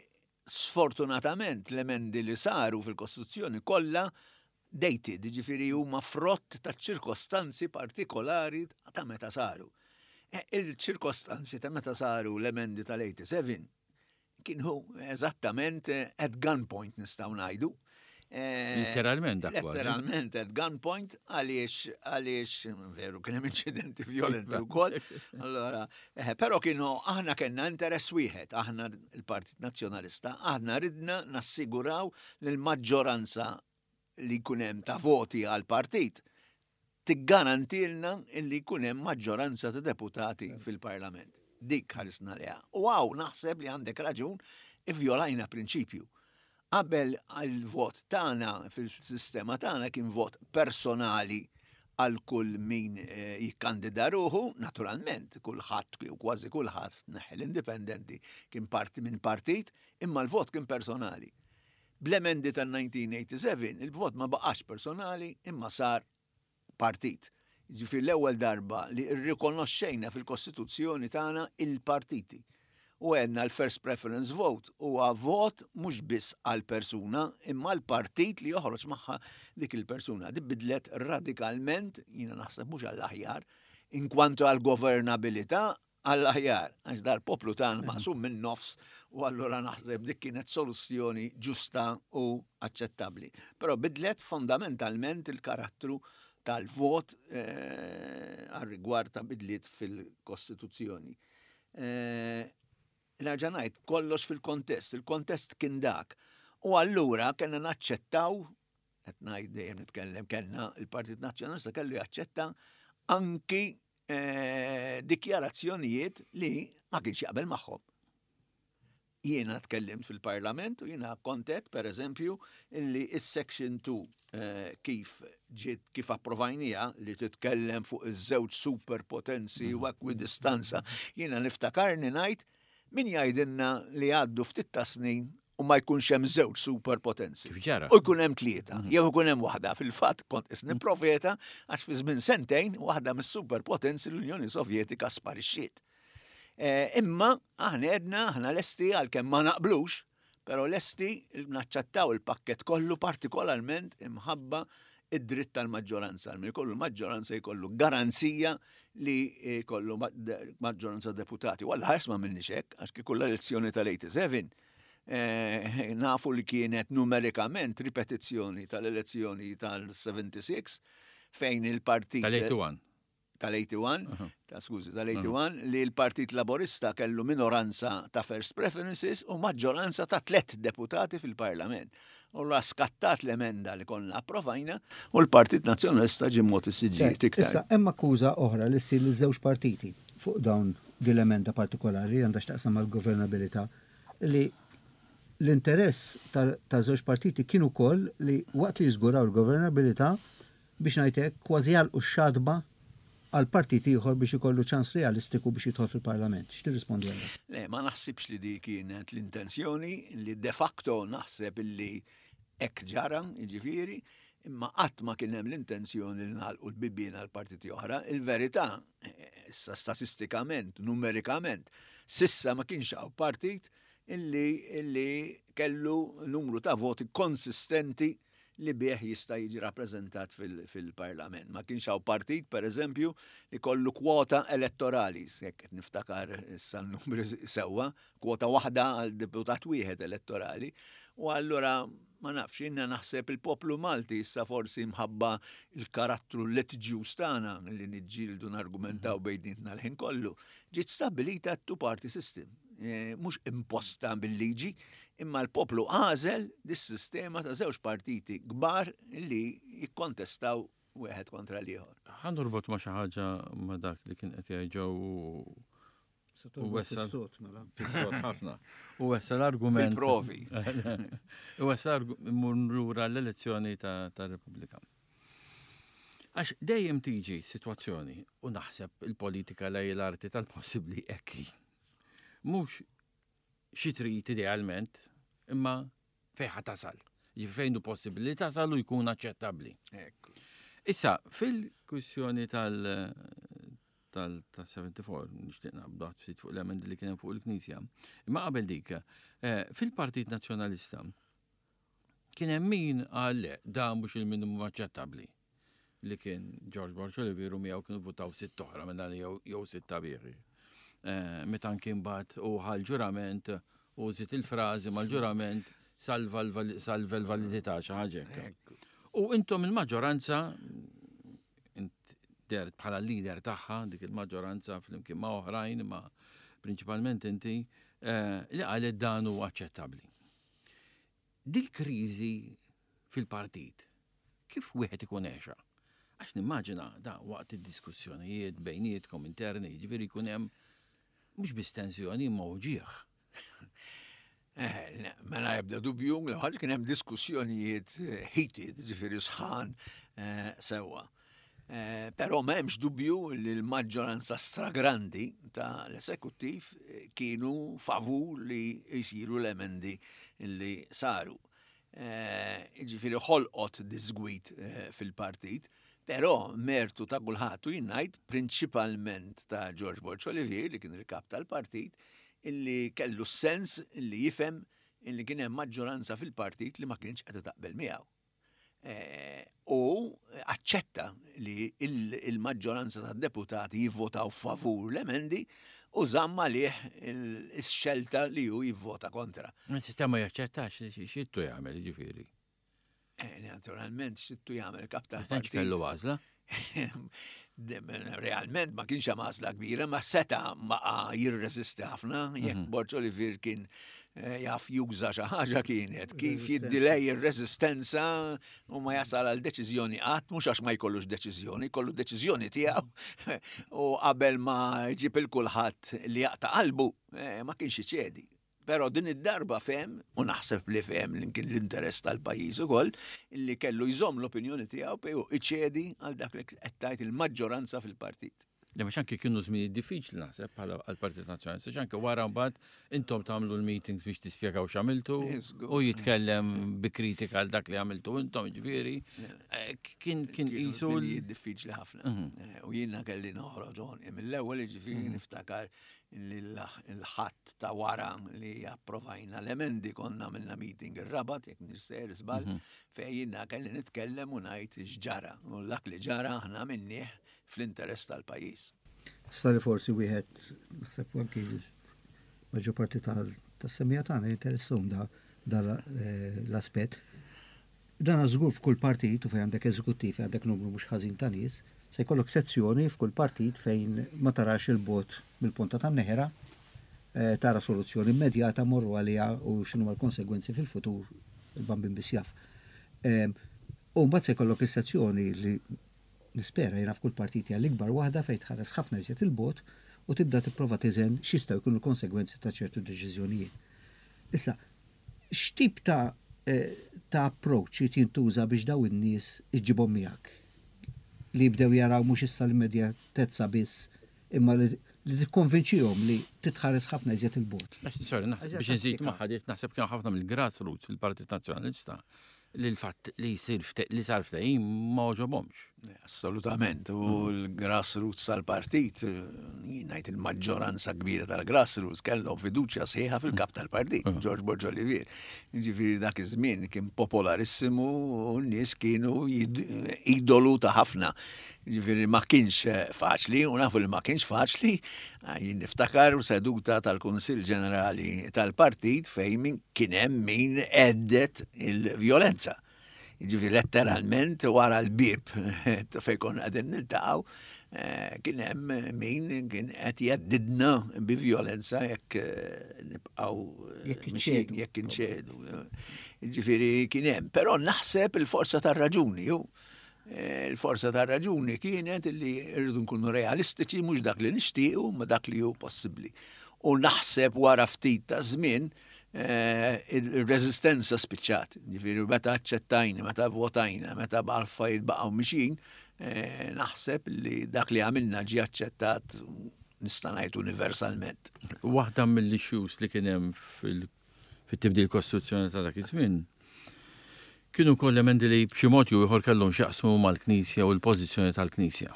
sfortunatament l-emendi li saru fil-Kostituzzjoni kollha dated, ġifieri huma frott ta' ċirkostanzi partikolari ta' meta saru. Il-ċirkostanzi ta' meta saru l-emendi tal-87 kienu eżattament at gunpoint nistgħu ngħidu. Letteralment dak. Letteralment at gunpoint għaliex għaliex veru kien hemm inċidenti violenti wkoll. Allora, però kienu aħna kellna interess wieħed, aħna il-Partit Nazzjonalista, aħna ridna nassiguraw li l-maġġoranza li jkun hemm ta' voti għal partit tiggarantilna li jkun hemm maġġoranza ta' deputati fil-Parlament. Dik ħarisna liha. U hawn naħseb li għandek raġun ivvjolajna prinċipju. Qabel il-vot tagħna fil-sistema tagħna kien vot personali għal kull min eh, jikkandida ruħu, naturalment, kulħadd jew kważi kulħadd neħħi l-indipendenti kien parti minn partit, imma l-vot kien personali. Bl-emendi tal-1987 il-vot ma baqax personali imma sar partit. Jiġifieri l-ewwel darba li rrikonoxxejna fil-Kostituzzjoni tagħna il-partiti. U għedna l-first preference vote huwa vot mhux biss għal persuna imma għal partit li joħroġ magħha dik il-persuna. Di bidlet radikalment, jiena naħseb mhux għall-aħjar, inkwantu għal governabilità għall-aħjar, għax dal-poplu tagħna maqsum minn nofs u allura naħseb dik kienet soluzzjoni ġusta u aċċettabbli. Però bidlet fondamentalment il-karattru tal-vot eh, għal rigward ta' bidliet fil-Kostituzzjoni. Eh, nerġa' ngħid kollox fil-kontest, il-kontest kien dak. U allura kellna naċċettaw qed ngħid dejjem nitkellem kellna il-Partit Nazzjonalista kellu jaċċetta anki eh, dikjarazzjonijiet li ma kienx jaqbel magħhom. Jiena tkellimt fil-Parlament u jiena kontet, per eżempju, illi is-Section 2 eh, kif ġiet kif approvajnija li titkellem fuq iż-żewġ superpotenzi u ekwidistanza, jiena niftakarni ngħid min jgħidilna li għaddu ftit ta' snin u ma jkunx hemm żewġ superpotenzi. Kif ġara? U jkun hemm tlieta, mhm. jew ikun hemm waħda. Fil-fatt kont isni mhm. profeta għax fi żmien sentejn waħda mis-superpotenzi l-Unjoni Sovjetika sparixxiet. Eh, imma aħna edna aħna lesti għalkemm ma naqblux, però lesti naċċettaw il-pakket kollu partikolarment imħabba id-dritt tal-maġġoranza. Min jkollu l-maġġoranza jkollu garanzija li jkollu maġġoranza deputati. U għalla ħars ma minni hekk, għax kieku l-elezzjoni tal-87 eh, nafu li kienet numerikament ripetizzjoni tal-elezzjoni tal-76 fejn il-partit. Tal-81 tal-81, ta' skużi, tal-81, li l-Partit Laborista kellu minoranza ta' first preferences u maġġoranza ta' tlet deputati fil-Parlament. U la skattat l-emenda li konna approvajna u l-Partit Nazzjonalista ġie mogħti siġġijiet iktar. Issa, hemm akkuża oħra li ssir liż-żewġ partiti fuq dawn din l-emenda partikolari li għandha x'taqsam mal-governabilità li l-interess ta' żewġ partiti kien ukoll li waqt li jiżguraw il-governabilità biex ngħid hekk, kważi jagħlqu x-xatba għal partit ieħor biex ikollu ċans realistiku biex jidħol fil-Parlament. X'tirrispondi għal dan? Le, ma naħsibx li dik kienet l-intenzjoni, li de facto naħseb illi hekk ġara, jiġifieri, imma qatt ma kien hemm l-intenzjoni li nagħlqu l-bibien għal partiti oħra. Il-verità, issa statistikament, numerikament, sissa ma kienx hawn partit illi, illi kellu numru ta' voti konsistenti li bih jista' jiġi rappreżentat fil-Parlament. Ma kienx hawn partit, per eżempju, li kollu kwota elettorali, jekk qed niftakar issa n-numri sewwa, kwota waħda għal deputat wieħed elettorali. U allura ma nafx, jiena naħseb il-poplu Malti issa forsi mħabba il-karattru litiġjuż tagħna li niġġieldu nargumentaw bejnietna l-ħin kollu, ġiet stabbilita two-party system. Eh, mhux imposta bil-liġi, imma l-poplu għażel dis-sistema ta' żewġ partiti kbar li jikkontestaw wieħed kontra l-ieħor. Ħa norbot ma' xi ħaġa ma' dak li kien qed jgħid Joe u wessa mela. Fis-sod ħafna. U wessa l-argument. Provi. U wessa mmur lura l-elezzjoni ta' Repubblika. Għax dejjem tiġi sitwazzjoni u naħseb il-politika lej l-arti tal-possibbli ekki. Mhux xi trid idealment, imma fejn ħa tasal. Jiġifieri fejn hu possibbli li tasal u jkun aċċettabbli. Issa, fil-kwistjoni tal- tal-74, nixtieq naqbdu ftit fuq l-emendi li kien hemm fuq il-Knisja. Imma qabel dik, eh, fil-Partit Nazzjonalista kien hemm min qal le, da mhux il-minimum aċċettabbli. li kien George Borg Olivier u miegħu kienu votaw sitt oħra minn dan jew sitta bieħi. Eh, meta kien bat u ħal ġurament u żied il-frażi mal-ġurament Salva l-validità xi ħaġa hekk. U intom il-maġġoranza int dert bħala leader tagħha dik il-maġġoranza flimkien ma' oħrajn ma prinċipalment inti eh, li qalet dan huwa aċċettabbli. Dil-kriżi fil-partit kif wieħed ikun għexha? Għax nimmaġina da waqt id-diskussjonijiet bejnietkom interni, jiġifieri jkun hemm mhux biss tensjoni imma uġigħ. Eh, mela ebda dubju, l ħaġa kien hemm diskussjonijiet eh, heated, ġifieri sħan eh, sewwa. Però m'hemmx dubju li l-maġġoranza stragrandi ta' l-esekuttiv kienu favur li jsiru l-emendi li saru. Ġifieri ħolqot disgwid fil-partit, però mertu ta' kulħadd u jien ngħid prinċipalment ta' George Borg Olivier li kien il-kap tal-partit illi kellu s-sens illi jifhem illi kien hemm maġġoranza fil-partit li ma kienx qed taqbel miegħu. Eh, u aċċetta li il-maġġoranza tad-deputati jivvotaw favur l-emendi u żamm għalih il-xelta li hu jivvota kontra. Il-sistema jaċċettax xittu jagħmel ġifieri. Eh, naturalment, xittu jagħmel kap tal-partit. Kellu għażla. Realment ma kienx hemm għażla kbira, ma seta ma jirreżisti ħafna, jekk mhm. Borġ Olivier kien eh, jaf juża xi ħaġa kienet kif jiddilej ir-reżistenza u ma jasal għal deċiżjoni qatt, mhux għax ma jkollux deċiżjoni, jkollu deċiżjoni tiegħu u qabel ma jġib il kulħadd li jaqta' qalbu eh, ma kienx iċedi. Però din id-darba fehem, u naħseb li fehem li kien l-interess tal-pajjiż ukoll, li kellu jżomm l-opinjoni tiegħu u iċedi għal dak li qed tgħid il-maġġoranza fil-partit. Le mhux anke kienu żminijiet diffiċli naħseb bħala għall-Partit Nazzjonalista, għax anke wara mbagħad intom tagħmlu l-meetings biex tispjegaw x'għamiltu u jitkellem bi kritika għal dak li għamiltu intom, ġifieri. Eh, kien kien qisu. Diffiċli ħafna. Mhm. Eh, u jiena kelli noħroġ mill-ewwel ġifieri mhm. niftakar li l-ħadd ta' wara li approvajna l-emendi konna minna meeting ir-Rabat, jekk nirser żball, mhm. fejn jiena kelli nitkellem u ngħid x'ġara. U dak li ġara aħna minnih fl-interess tal-pajjiż. Issa li forsi wieħed naħseb anki maġġor parti tas-semija tagħna jinteressahom da eh, l-aspett. Dan żgur f'kull partit u fejn għandek eżekuttiv fejn għandek numru mhux ħażin ta' nies, se jkollok sezzjoni f'kull partit fejn ma tarax 'il bogħod mill-ponta tan-neħra, tara soluzzjoni immedjata mmorru għaliha u x'inhuma l-konsegwenzi fil-futur il-Bambin biss jaf. U mbagħad se jkollok is-sezzjoni li nispera jiena f'kull partit hija l-ikbar waħda fejn tħares ħafna iżjed 'il bogħod u tibda tipprova tiżen x'jistgħu jkunu l-konsegwenzi ta' ċertu deċiżjonijiet. Issa, X'tip ta' ta' approach irid jintuża biex dawn in-nies iġġibhom miegħek? Li jibdew jaraw mhux issa l-immedjatezza biss imma li li tikkonvinċihom li trid tħares ħafna iżjed 'il bogħod. Għax, sorry, naħseb biex inżid magħha dik naħseb kien ħafna mill-grassroots fil-Partit Nazzjonalista li l-fatt li jsir li sar ftehim ma għoġobhomx. Assolutament, u l-grassroots tal-partit, jien ngħid il-maġġoranza kbira tal-grassroots kellhom fiduċja sħiħa fil-kap tal-partit, mm. George Borg Olivier. Ġifieri dak iż-żmien kien popolarissimu u n-nies kienu idolu ta' ħafna. Ġifieri ma kienx faċli, u nafu li ma kienx faċli, jien niftakar seduta tal-Kunsill Ġenerali tal-Partit fejn min kien hemm min għeddet il-vjolenza. Ġifieri letteralment wara l-bieb fejn konna qegħdin niltaqgħu, eh, kien hemm min kien qed jgħeddidna bi vjolenza jekk eh, nibqgħu eh, jekk inċedu. Ġifieri kien hemm, però naħseb il-forza tar-raġuni ju. Il-forza tar-raġuni kienet li rridu nkunu realistiċi mhux dak li nixtiequ ma dak li hu possibbli. U naħseb wara ftit ta' żmien eh, il-reżistenza spiċċat. Ġifieri meta aċċettajna, meta votajna, meta l-affarijiet baqgħu mixin, eh, naħseb li dak li għamilna ġie aċċettat nista' ngħid universalment. Waħda mill-issues li kien hemm fil fit-tibdil kostituzzjonali ta' dak iż-żmien, kienu wkoll emendi li b'xi mod jew ieħor kellhom x'jaqsmu mal-Knisja u l-pożizzjoni tal-Knisja.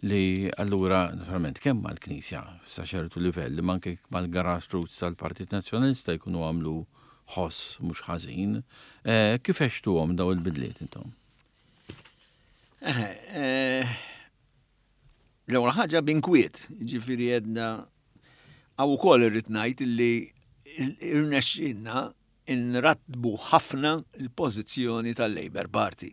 Li allura, naturalment, kemm mal-Knisja sa ċertu livell, imma anke mal-grassroots tal-Partit Nazzjonalista jkunu għamlu ħoss mhux ħażin. Eh, kif għextuhom daw il-bidliet intom? Eh, eh, l-ewwel ħaġa b'inkwiet, ġifieri għedna Hawn ukoll irrid ngħid li rnexxielna inrattbu ħafna l-pożizzjoni tal-Labour Party.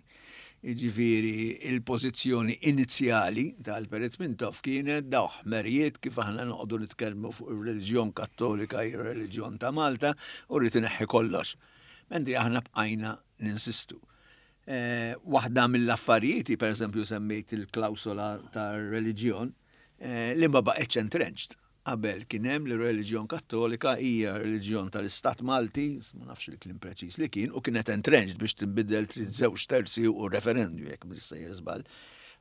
Jiġifieri il-pożizzjoni inizjali tal-Perit Mintoff kienet daw ħmerijiet kif aħna noqogħdu nitkellmu fuq ir-reliġjon Kattolika hi r-reliġjon ta' Malta u rrid ineħħi kollox. Mentri aħna bqajna ninsistu. Eh, waħda mill-affarijiet, per eżempju semmejt il-klawsola tar-reliġjon, eh, li ma baqgħetx entrenched. Qabel kien hemm li r-reliġjon Kattolika hija reliġjon tal-Istat Malti, ma nafx il-kliem preċiż li kien, u kienet entrenched biex tinbidel trid żewġ terzi u referendum jekk mhux sejjer żball.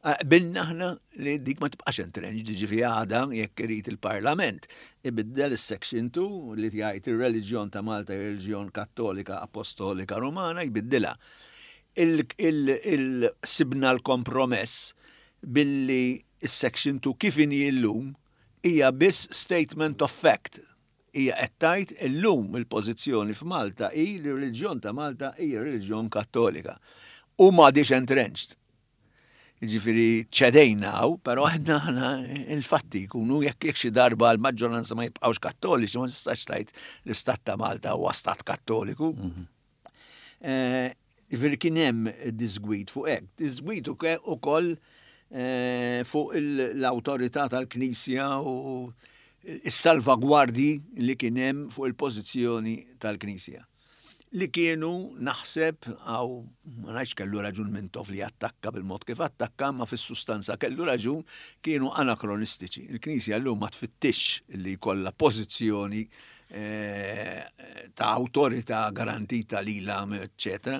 Qbilna aħna li dik ma tibqax entrenched, jiġifieri għada jekk irid il-Parlament ibiddel is-section 2 li jgħid ir-reliġjon ta' Malta hija reliġjon Kattolika Apostolika Rumana jbiddilha. Il-sibna l-kompromess billi s-section 2 kif inhi llum hija biss statement of fact. Hija qed tgħid illum il-pożizzjoni f'Malta hi li r-reliġjon ta' Malta hija reliġjon Kattolika. U m'għadhiex entrenched. Jiġifieri ċedejna hawn, però aħna aħna il-fatti jkunu jekk jekk xi darba l-maġġoranza ma jibqgħux Kattoliċi ma tistax tgħid l-istat ta' Malta huwa stat Kattoliku. Mhm. Eh, jiġifieri kien hemm disgwid fuq hekk. Disgwid ukoll eh, fuq l-awtorità tal-Knisja u s-salvagwardji li kien hemm fuq il-pożizzjoni tal-Knisja. Li kienu, naħseb, għaw, ma ngħidx kellu raġun Mintoff li attakka bil-mod kif attakka, ma fis-sustanza kellu raġun, kienu anakronistiċi. Il-Knisja llum ma tfittixx li jkollha pożizzjoni eh, ta' awtorità garantita lilha, eċċetera.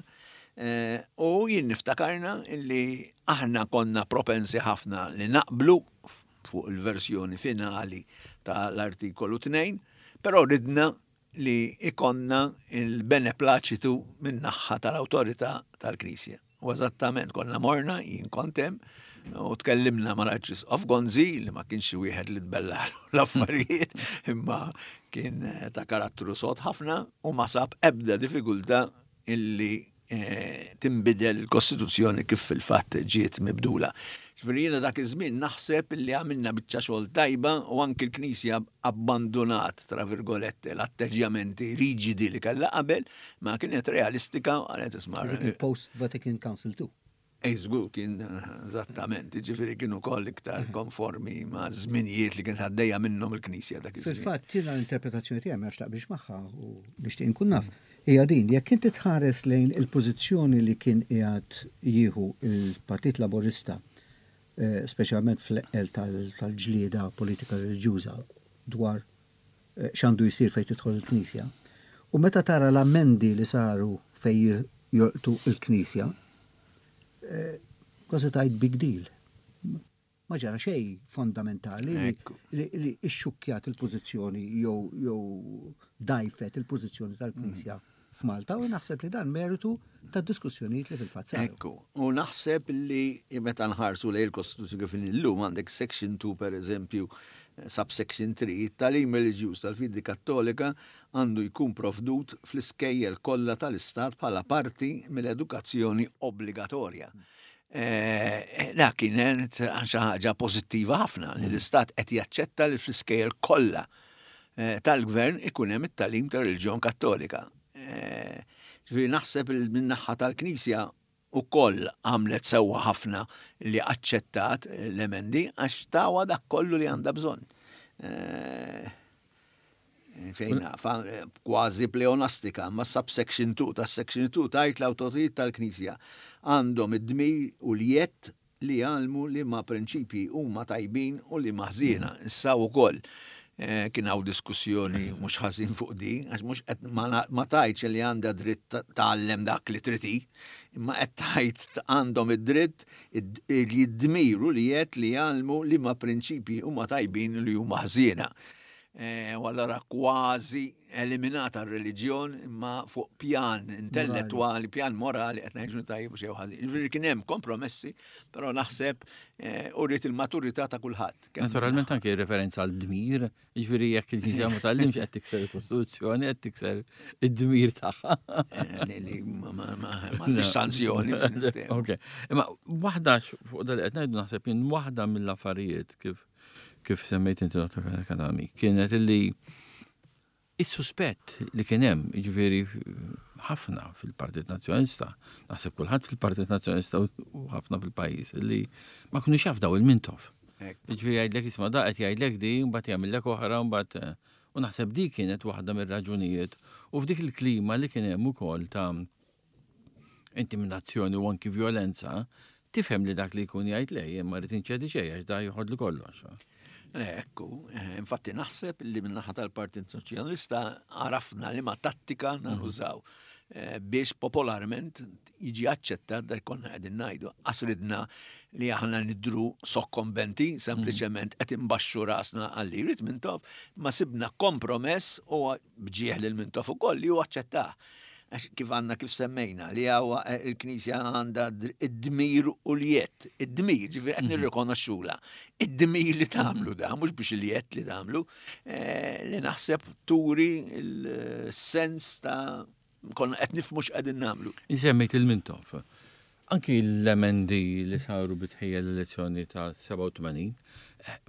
Eh, u jien niftakarna li aħna konna propensi ħafna li naqblu fuq il-versjoni finali tal-artikolu 2, però ridna li ikonna il-beneplaċitu min-naħħa tal-awtorità tal-Knisja. U eżattament konna morna, jien kont hemm, u tkellimna mal-Arċisqof Gonzi li ma kienx xi wieħed li tbellalu l-affarijiet, imma kien ta' karattru sod ħafna u ma sab ebda diffikultà illi eh, tinbidel il-Kostituzzjoni kif fil-fatt ġiet mibdula. Ġifieri jiena dak iż-żmien naħseb li għamilna biċċa xogħol tajba u anki l-Knisja abbandunat tra virgolette l-atteġġjamenti riġidi li kellha qabel, ma kienet realistika u qalet isma' Post Vatican Council II. Ej, żgur kien eżattament, ġifieri kienu wkoll iktar konformi ma' żminijiet li kienet għaddejja minnhom il-Knisja dak iż-żmien. Fil-fatt, jiena l-interpretazzjoni tiegħi ma taqbilx magħha u nixtieq inkun naf, hija din, jekk inti tħares lejn il-pożizzjoni li kien qiegħed jieħu l-Partit Laburista, speċjalment fl-eqqel tal-ġlieda politika reliġjuża dwar x'għandu jsir fejn tidħol il-Knisja. U meta tara l-ammendi li saru fejn jolqtu l-Knisja, kważi tgħid big deal. Ma ġara xejn fondamentali li xxukkjat il-pożizzjoni jew dgħajfet il-pożizzjoni tal-Knisja f'Malta u naħseb li dan meritu ta' diskussjonijiet li fil-fatt saru. Ekku, u naħseb li meta nħarsu lejn il-Kostituzzjoni kif inhi llum għandek section 2 per eżempju, subsection 3, it-tagħlim reliġjuż tal-fidi Kattolika għandu jkun provdut fl-iskejjel kollha tal-Istat bħala parti mill-edukazzjoni obbligatorja. Eh, dak kienet xi ħaġa pożittiva ħafna li l-Istat qed jaċċetta li fl-iskejjel kollha eh, tal-gvern ikun hemm it-tagħlim tar-reliġjon Kattolika. Eh, ġifieri naħseb li min-naħa tal-Knisja ukoll għamlet sewwa ħafna li aċċettat l-emendi għax tawa dak kollu li għandha bżonn. Eh, fejn nafa, kważi pleonastika, ma subsection 2 ta' section 2 tajt l-awtoritajiet tal-Knisja għandhom id-dmir u l-jett li jgħallmu liema prinċipji huma tajbin u liema ħżiena. Issa wkoll eh, kien hawn diskussjoni mhux ħażin fuq di, għax mhux qed ma tgħidx li għandha dritt tgħallem dak li trid hi, imma qed tgħid għandhom id-dritt id-dmir u li qed li jgħallmu liema prinċipji huma tajbin u li huma ħżiena. Eh, u allura kważi eliminata r-reliġjon imma fuq pjan intellettwali, pjan morali qed ngħidu tajjeb u xejn ħażin. Ġifieri kien hemm kompromessi, però naħseb eh, uriet il-maturità ta' kulħadd. Naturalment anke referenza għal dmir, ġifieri jekk il-Knisja ma tgħallimx qed tikser il-Kostituzzjoni, qed tikser id-dmir tagħha. Eh, li ma sanzjoni. Ok. Imma waħda fuq dal qed ngħidu naħseb jien waħda mill-affarijiet kif kif semmejt inti Dr. Kadami, kienet illi. Is-suspett li kien hemm, jiġifieri ħafna fil-Partit Nazzjonalista, naħseb kulħadd fil-Partit Nazzjonalista u ħafna fil-pajjiż li ma kinux jafdaw il-Mintoff. Jiġifieri jgħidlek isma' da qed jgħidlek di, mbagħad jagħmillek oħra, mbagħad eh, u naħseb di kienet waħda mir-raġunijiet u f'dik il-klima li kien hemm ukoll ta' intimidazzjoni u anki violenza, tifhem li dak li jkun jgħid le, jien ma rrid inċedi xejn għax da joħodli kollox. Ekku, eh, infatti naħseb li min-naħa tal-Partit Soċjalista għarafna li ma tattika mhm. nużaw eh, biex popolarment jiġi aċċettat dak konna qegħdin ngħidu. Qasridna li aħna nidru sokkombenti, mhm. sempliċement qed imbaxxu rasna għalli jrid Mintoff, ma sibna kompromess u bġieħ lil Mintoff ukoll li hu aċċettah. Għax kif għandna kif semmejna li għawa eh, il-Knisja għandha id-dmir u l-jett, id-dmir, ġifieri qed mhm. nirrikonoxxula, id-dmir li tagħmlu da, mhux biex il-jett li tagħmlu, eh, li naħseb turi l-sens ta' konna qed nifhmu x'qegħdin nagħmlu. Insemmejt il-Mintoff. Anki l-emendi li saru bi tħejja l-elezzjoni ta' 87,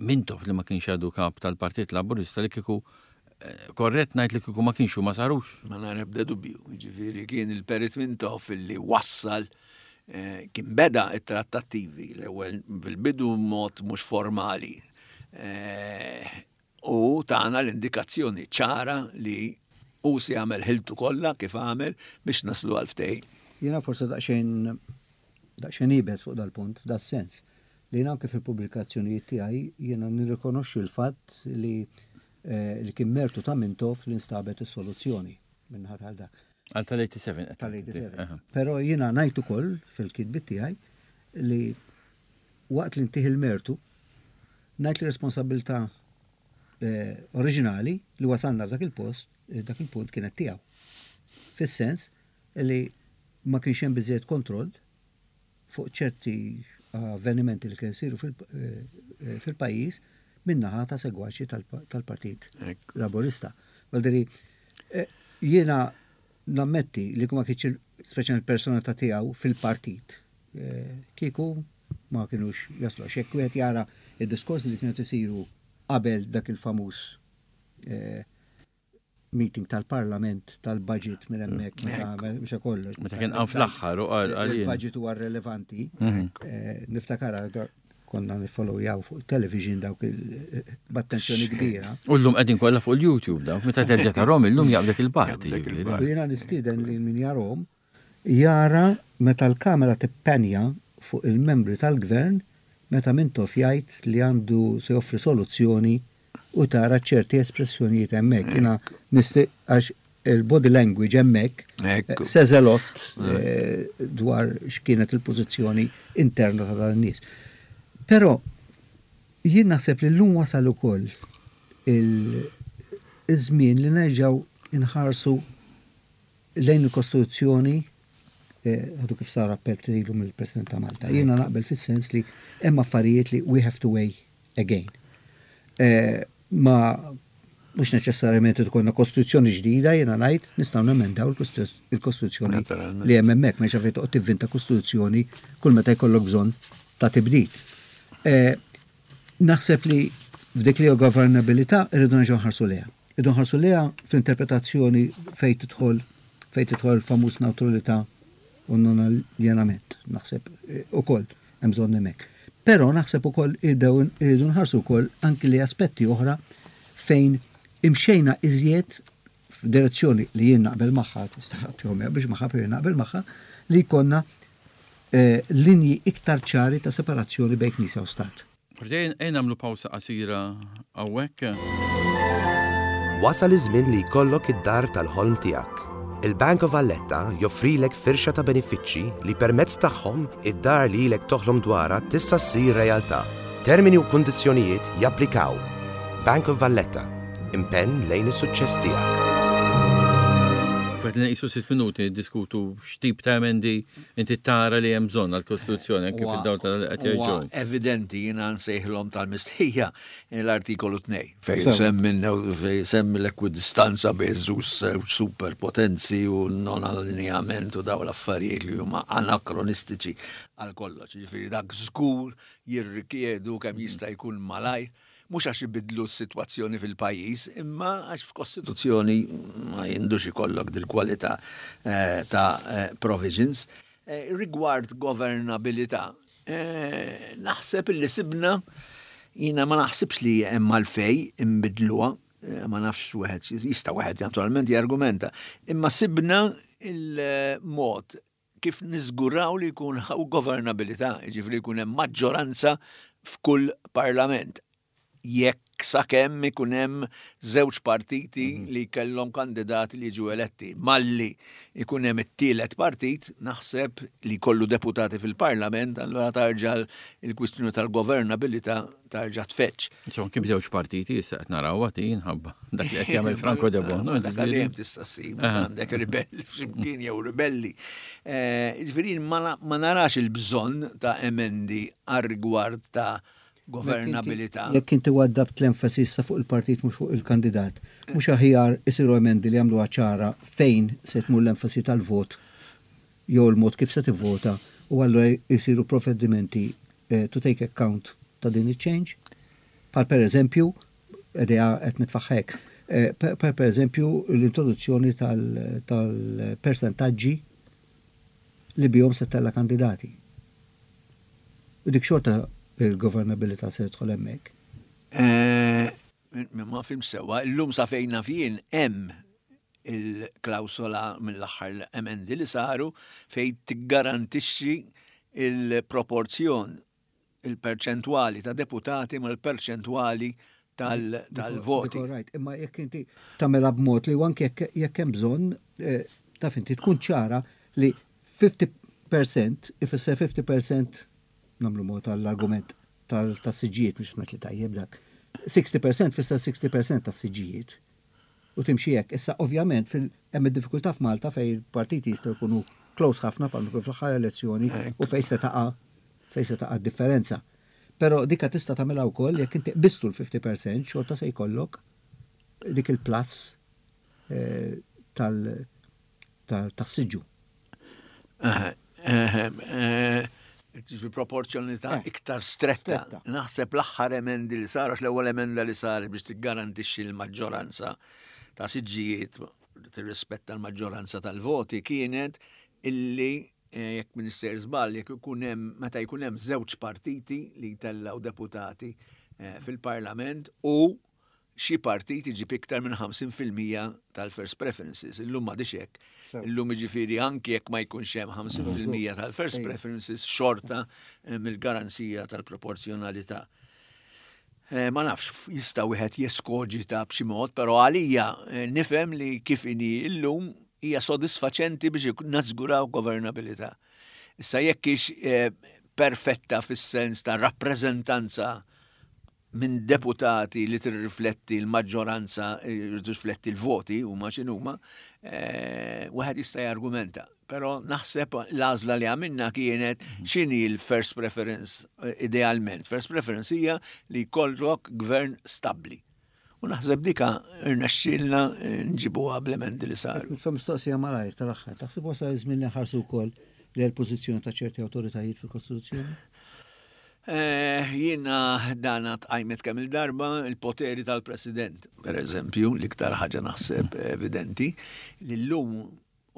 Mintoff li ma kienx għadu kap tal-Partit Laburista li kieku eh, korrett ngħid li kieku ma kienx ma sarux. Ma nara ebda dubju, ġifieri kien il-Perit Mintoff li wassal eh, kien beda it-trattattivi l-ewwel bil-bidu mod mhux formali. Eh, U tana l-indikazzjoni ċara li hu se jagħmel ħiltu kollha kif għamel biex naslu għal ftehim. Jiena forsi daqsxejn daqsxejn iebes fuq dal-punt f'das-sens li jiena anke fil-pubblikazzjonijiet tiegħi jiena nirrikonoxxi l-fatt li li kien mertu ta' Mintoff li nstabet is-soluzzjoni min-naħa tal dak. Għal tal-87 qed Tal-87. Però jiena ngħid ukoll fil-kitbiet tiegħi li Waqt li ntih il-mertu, ngħid li r-responsabbiltà oriġinali li wasalna f'dak il-post, dak il-punt kienet tiegħu. Fis-sens li ma kienx hemm biżżejjed kontroll fuq ċerti avvenimenti li kienu jsiru fil-pajjiż min-naħa ta' segwaċi tal-Partit Laburista. Vuol jiena Nammetti li kieku ma kienx speċjalment il-personalità tiegħu fil-partit, kieku ma kinux jaslu. Għax jekk wieħed jara d-diskorsi li kienu qed isiru qabel dak il-famuż meeting tal-Parlament tal-budget minn hemmhekk meta meta kollox. Meta kien qam fl-aħħar u qal il-budget huwa relevanti. Niftakarha Konna niffollowjaw fuq television dawk b'attenzjoni kbira. U llum qegħdin kollha fuq il-YouTube dawk, meta terġa' tarhom illum jaqbdek il-bard. U jiena nistieden lil min jarhom jara meta l-kamera tippenja fuq il-membri tal-Gvern meta Mintoff jgħid li għandu se joffri soluzzjoni u tara ċerti espressjonijiet hemmhekk. Jiena nisti għax il-body language hemmhekk says a lot eh, dwar x'kienet il-pożizzjoni interna ta' dan nies. Però jien naħseb li llum wasal ukoll il-żmien li nerġgħu inħarsu lejn il-Kostituzzjoni eh, għadu kif sar appell ilu mill-President ta' Malta. Jiena naqbel fis-sens li hemm affarijiet li we have to weigh again. Eh, ma mhux neċessarjament irid ikollna kostituzzjoni ġdida, jiena ngħid nistgħu nemendaw il-kostituzzjoni li hemm hemmhekk, m'hemmx għalfejn toqgħod tivvinta kostituzzjoni kull meta jkollok bżonn ta' tibdil. Eh, naħseb li f'dik li governabilità irridu nerġgħu nħarsu lejha. Irridu nħarsu lejha fl-interpretazzjoni fejn tidħol fejn tidħol il-famuż neutralità u non-aljenament, naħseb eh, ukoll hemm bżonn hemmhekk. Però naħseb ukoll irridu nħarsu wkoll anki li aspetti oħra fejn imxejna iżjed f'direzzjoni li jien naqbel magħha, tista' biex magħha, però jien naqbel magħha, li jkollna eh, linji iktar ċari ta' separazzjoni bejn Knisja u Stat. Ejja nagħmlu pawsa qasira hawnhekk. Wasal iż-żmien li jkollok id-dar tal-ħolm tiegħek. Il-Bank of Valletta joffrilek firxa ta' benefiċċji li permezz tagħhom id-dar li ilek toħlom dwarha tista' ssir realtà. Termini u kundizzjonijiet japplikaw. Bank of Valletta, impenn lejn is-suċċess tiegħek. Fadlilna qisu sitt minuti niddiskutu x'tip ta' emendi Inti tara li hemm bżonn għall-Kostituzzjoni anke fid-dawl ta' li qed jgħid Joe. Evidenti jiena nsejħilhom tal-mistħija l-artikolu 2 fejn semmi fejn semmi l-ekwidistanza bejn żewġ superpotenzi u non-allineament u dawn l-affarijiet li huma anakronistiċi għal kollox. Jiġifieri dak żgur jirrikjedu kemm jista' jkun malajr. mhux għax ibiddlu s-sitwazzjoni fil-pajjiż, imma għax f'Kostituzzjoni ma jindux ikollok dil-kwalità eh, ta' eh, provisions. Eh, rigward governabilità, naħseb illi sibna jiena ma naħsibx li hemm għalfej imbidluha, ma nafx wieħed jista' wieħed naturalment jargumenta, imma sibna il-mod kif niżguraw li jkun hawn governabilità, jiġifieri jkun hemm maġġoranza f'kull parlament. Jekk sakemm ikun hemm żewġ partiti mhm. li kellhom kandidati li jiġu eletti. Malli ikun hemm it-tielet partit, naħseb li kollu deputati fil-parlament, allura tarġa' il-kwistjoni tal-governabilità tarġa' tfeġġ. Insomma, kif żewġ partiti issa qed naraw għati jinħabba dak li qed jagħmel Franco De Bono. Dak dejjem tista' ssib għandek ribelli f'ximkien jew ribelli. Eh, jiġifieri ma narax il-bżonn ta' emendi għar-rigward ta' governabilità. Jekk inti waddabt l-enfasi issa fuq il-partit mhux fuq il-kandidat, mhux aħjar isiru emendi li jagħmluha ċara fejn se tmur l-enfasi tal-vot jew il-mod kif se tivvota u allura jsiru provvedimenti to take account ta' din iċ-change? Bħal per eżempju, idea qed nitfagħha hekk, bħal per eżempju l-introduzzjoni tal-persentaġġi li bihom se ttella' kandidati. U dik xorta il-governabilità se tidħol hemmhekk. Ma fhimtx sewwa, illum sa fejn naf jien hemm il-klawsola mill-aħħar emendi li saru fejn tiggarantixxi il-proporzjon, il-perċentwali ta' deputati mal-perċentwali tal-voti. Right, imma jekk inti tagħmilha b'mod li anke jekk hemm bżonn, eh, taf inti tkun ċara li 50% ifisser 50% nagħmlu mod tal-argument tas-siġġijiet mhux qed li tajjeb dak. 60% fisser 60% tas-siġġijiet. U timxi hekk. Issa ovvjament hemm id-diffikultà f'Malta fejn il-partiti jistgħu jkunu close ħafna bħalma kien fl-aħħar elezzjoni u fejn se taqa' fejn se taqa' d-differenza. Però dika tista' tagħmilha wkoll jekk inti qbiżtu l-50% xorta se jkollok dik il-plus eh, tal tas-siġġu. Ġifi proporzjonalità eh, iktar stretta. Naħseb l-aħħar emendi li sar, għax l-ewwel emenda li sar biex tiggarantixxi l-maġġoranza ta' siġġijiet tirrispetta l-maġġoranza tal-voti kienet illi eh, jekk minister żball jekk ikun hemm meta jkun hemm żewġ partiti li jtellgħu deputati eh, fil-Parlament u xi partit iġib iktar minn 50% tal-first preferences. Illum m'għadix hekk. Illum jiġifieri anki jekk ma jkunx hemm 50% tal-first preferences xorta eh, mill-garanzija tal-proporzjonalità. Eh, ma nafx, jista' wieħed jeskoġita b'xi mod, però għalija eh, nifhem li kif inhi illum hija sodisfaċenti biex nażguraw governabilità. Issa jekk hix perfetta fis-sens ta' rappreżentanza minn deputati li tirrifletti l-maġġoranza, tirrifletti l-voti huma x'inhuma, eh, wieħed jista' jargumenta. Però naħseb l-għażla li għamilna kienet mhm. x'inhi l-first preference eh, idealment. First preference hija li jkollok gvern stabbli. U naħseb dika rnexxielna eh, nġibuha bl-emendi li saru. Fa mistoqsija malajr tal-aħħar, taħseb wasal iż-żmien li nħarsu wkoll li l-pożizzjoni ta' ċerti awtoritajiet fil-Kostituzzjoni? Eh, jiena dana tqajmet kemm il-darba il-poteri tal-President, per eżempju, l-iktar ħaġa naħseb evidenti, li llum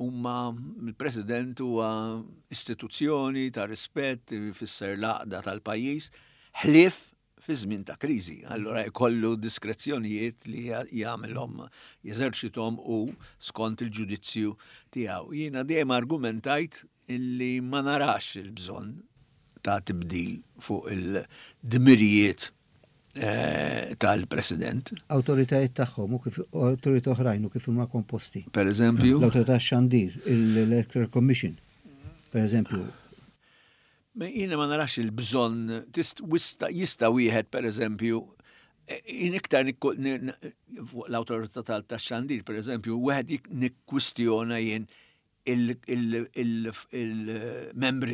huma il-President huwa istituzzjoni ta' rispett, jfisser l-għaqda tal-pajjiż, ħlief fi żmien ta' kriżi. Allura jkollu diskrezzjonijiet li jagħmilhom jeżerċithom u skont il-ġudizzju tiegħu. Jiena dejjem argumentajt illi ma narax il-bżonn ta' tibdil fuq il-dmirijiet eh, tal-President. Awtoritajiet tagħhom u kif awtoritajiet oħrajn u kif huma komposti. Per eżempju? L-Awtorità Xandir, l-Electoral Commission, per eżempju. Jiena ma narax il-bżonn, jista' wieħed per eżempju, eh, jien iktar l-awtorità tal-xandir, per eżempju, wieħed nikkwistjona jien. Il-membri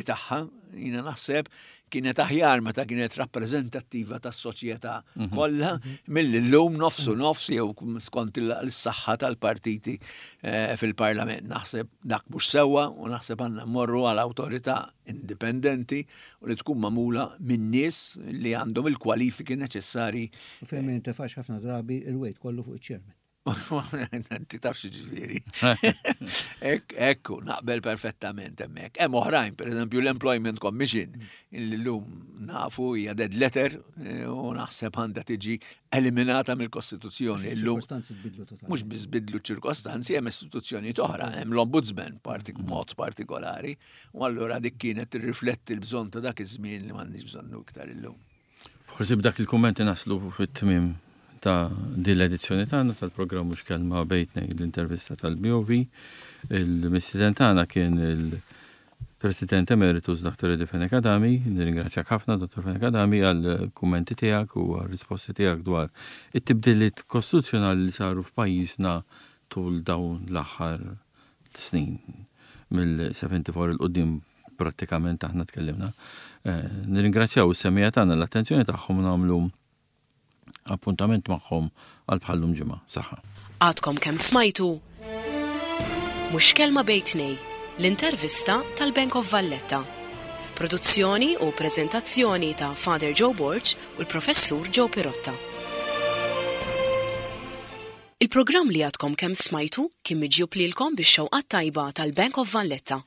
tagħha, jiena naħseb kienet aħjar meta kienet rappreżentattiva tas-soċjetà mhm. kollha milli llum nofsu mhm. nofs jew skont il-saħħa tal-partiti eh, fil-parlament. Naħseb dak mhux sewwa u naħseb għandna mmorru għal awtorità indipendenti u li tkun magħmula minn nies li għandhom il-kwalifiki neċessarji. U fejn ma jintefax ħafna drabi il-wejt kollu fuq iċ-chairman. Inti taf xi ġifieri. Ekku, naqbel perfettament hemmhekk. Hemm oħrajn, pereżempju l-Employment Commission, li llum nafu hija dead letter eh, u naħseb għandha tiġi eliminata mill-Kostituzzjoni. Illum mhux biss bidlu ċirkostanzi hemm istituzzjonijiet oħra, hemm l-Ombudsman partik mod partikolari, u allura dik kienet tirrifletti l-bżonn ta' dak iż-żmien li m'għandniex bżonnu iktar illum. Forsi b'dak il-kummenti naslu fit-tmiem ta' din l-edizzjoni tagħna tal-programm Mhux Kelma Bejn Tnejn l-intervista tal-BOV. Il-mistieden tagħna kien il-President Emeritus Dr. Eddie Fenech Adami. Nirringrazzjak ħafna Dr. Fenech Adami għall-kummenti tiegħek u għar-risposti tiegħek dwar it-tibdiliet kostituzzjonali li saru f'pajjiżna tul dawn l-aħħar snin mill-74 'il quddiem prattikament aħna tkellimna. Eh, nirringrazzjaw is-semija tagħna l-attenzjoni tagħhom u nagħmlu appuntament magħhom għal bħallum ġimgħa. Saħħa. Għadkom kemm smajtu Mhux Kelma Bejn Tnej, l-intervista tal-Bank of Valletta. Produzzjoni u preżentazzjoni ta' Father Joe Borg u l-Professur Joe Pirotta. Il-programm li għadkom kemm smajtu kien miġjub lilkom bix-xewqat tajba tal-Bank of Valletta.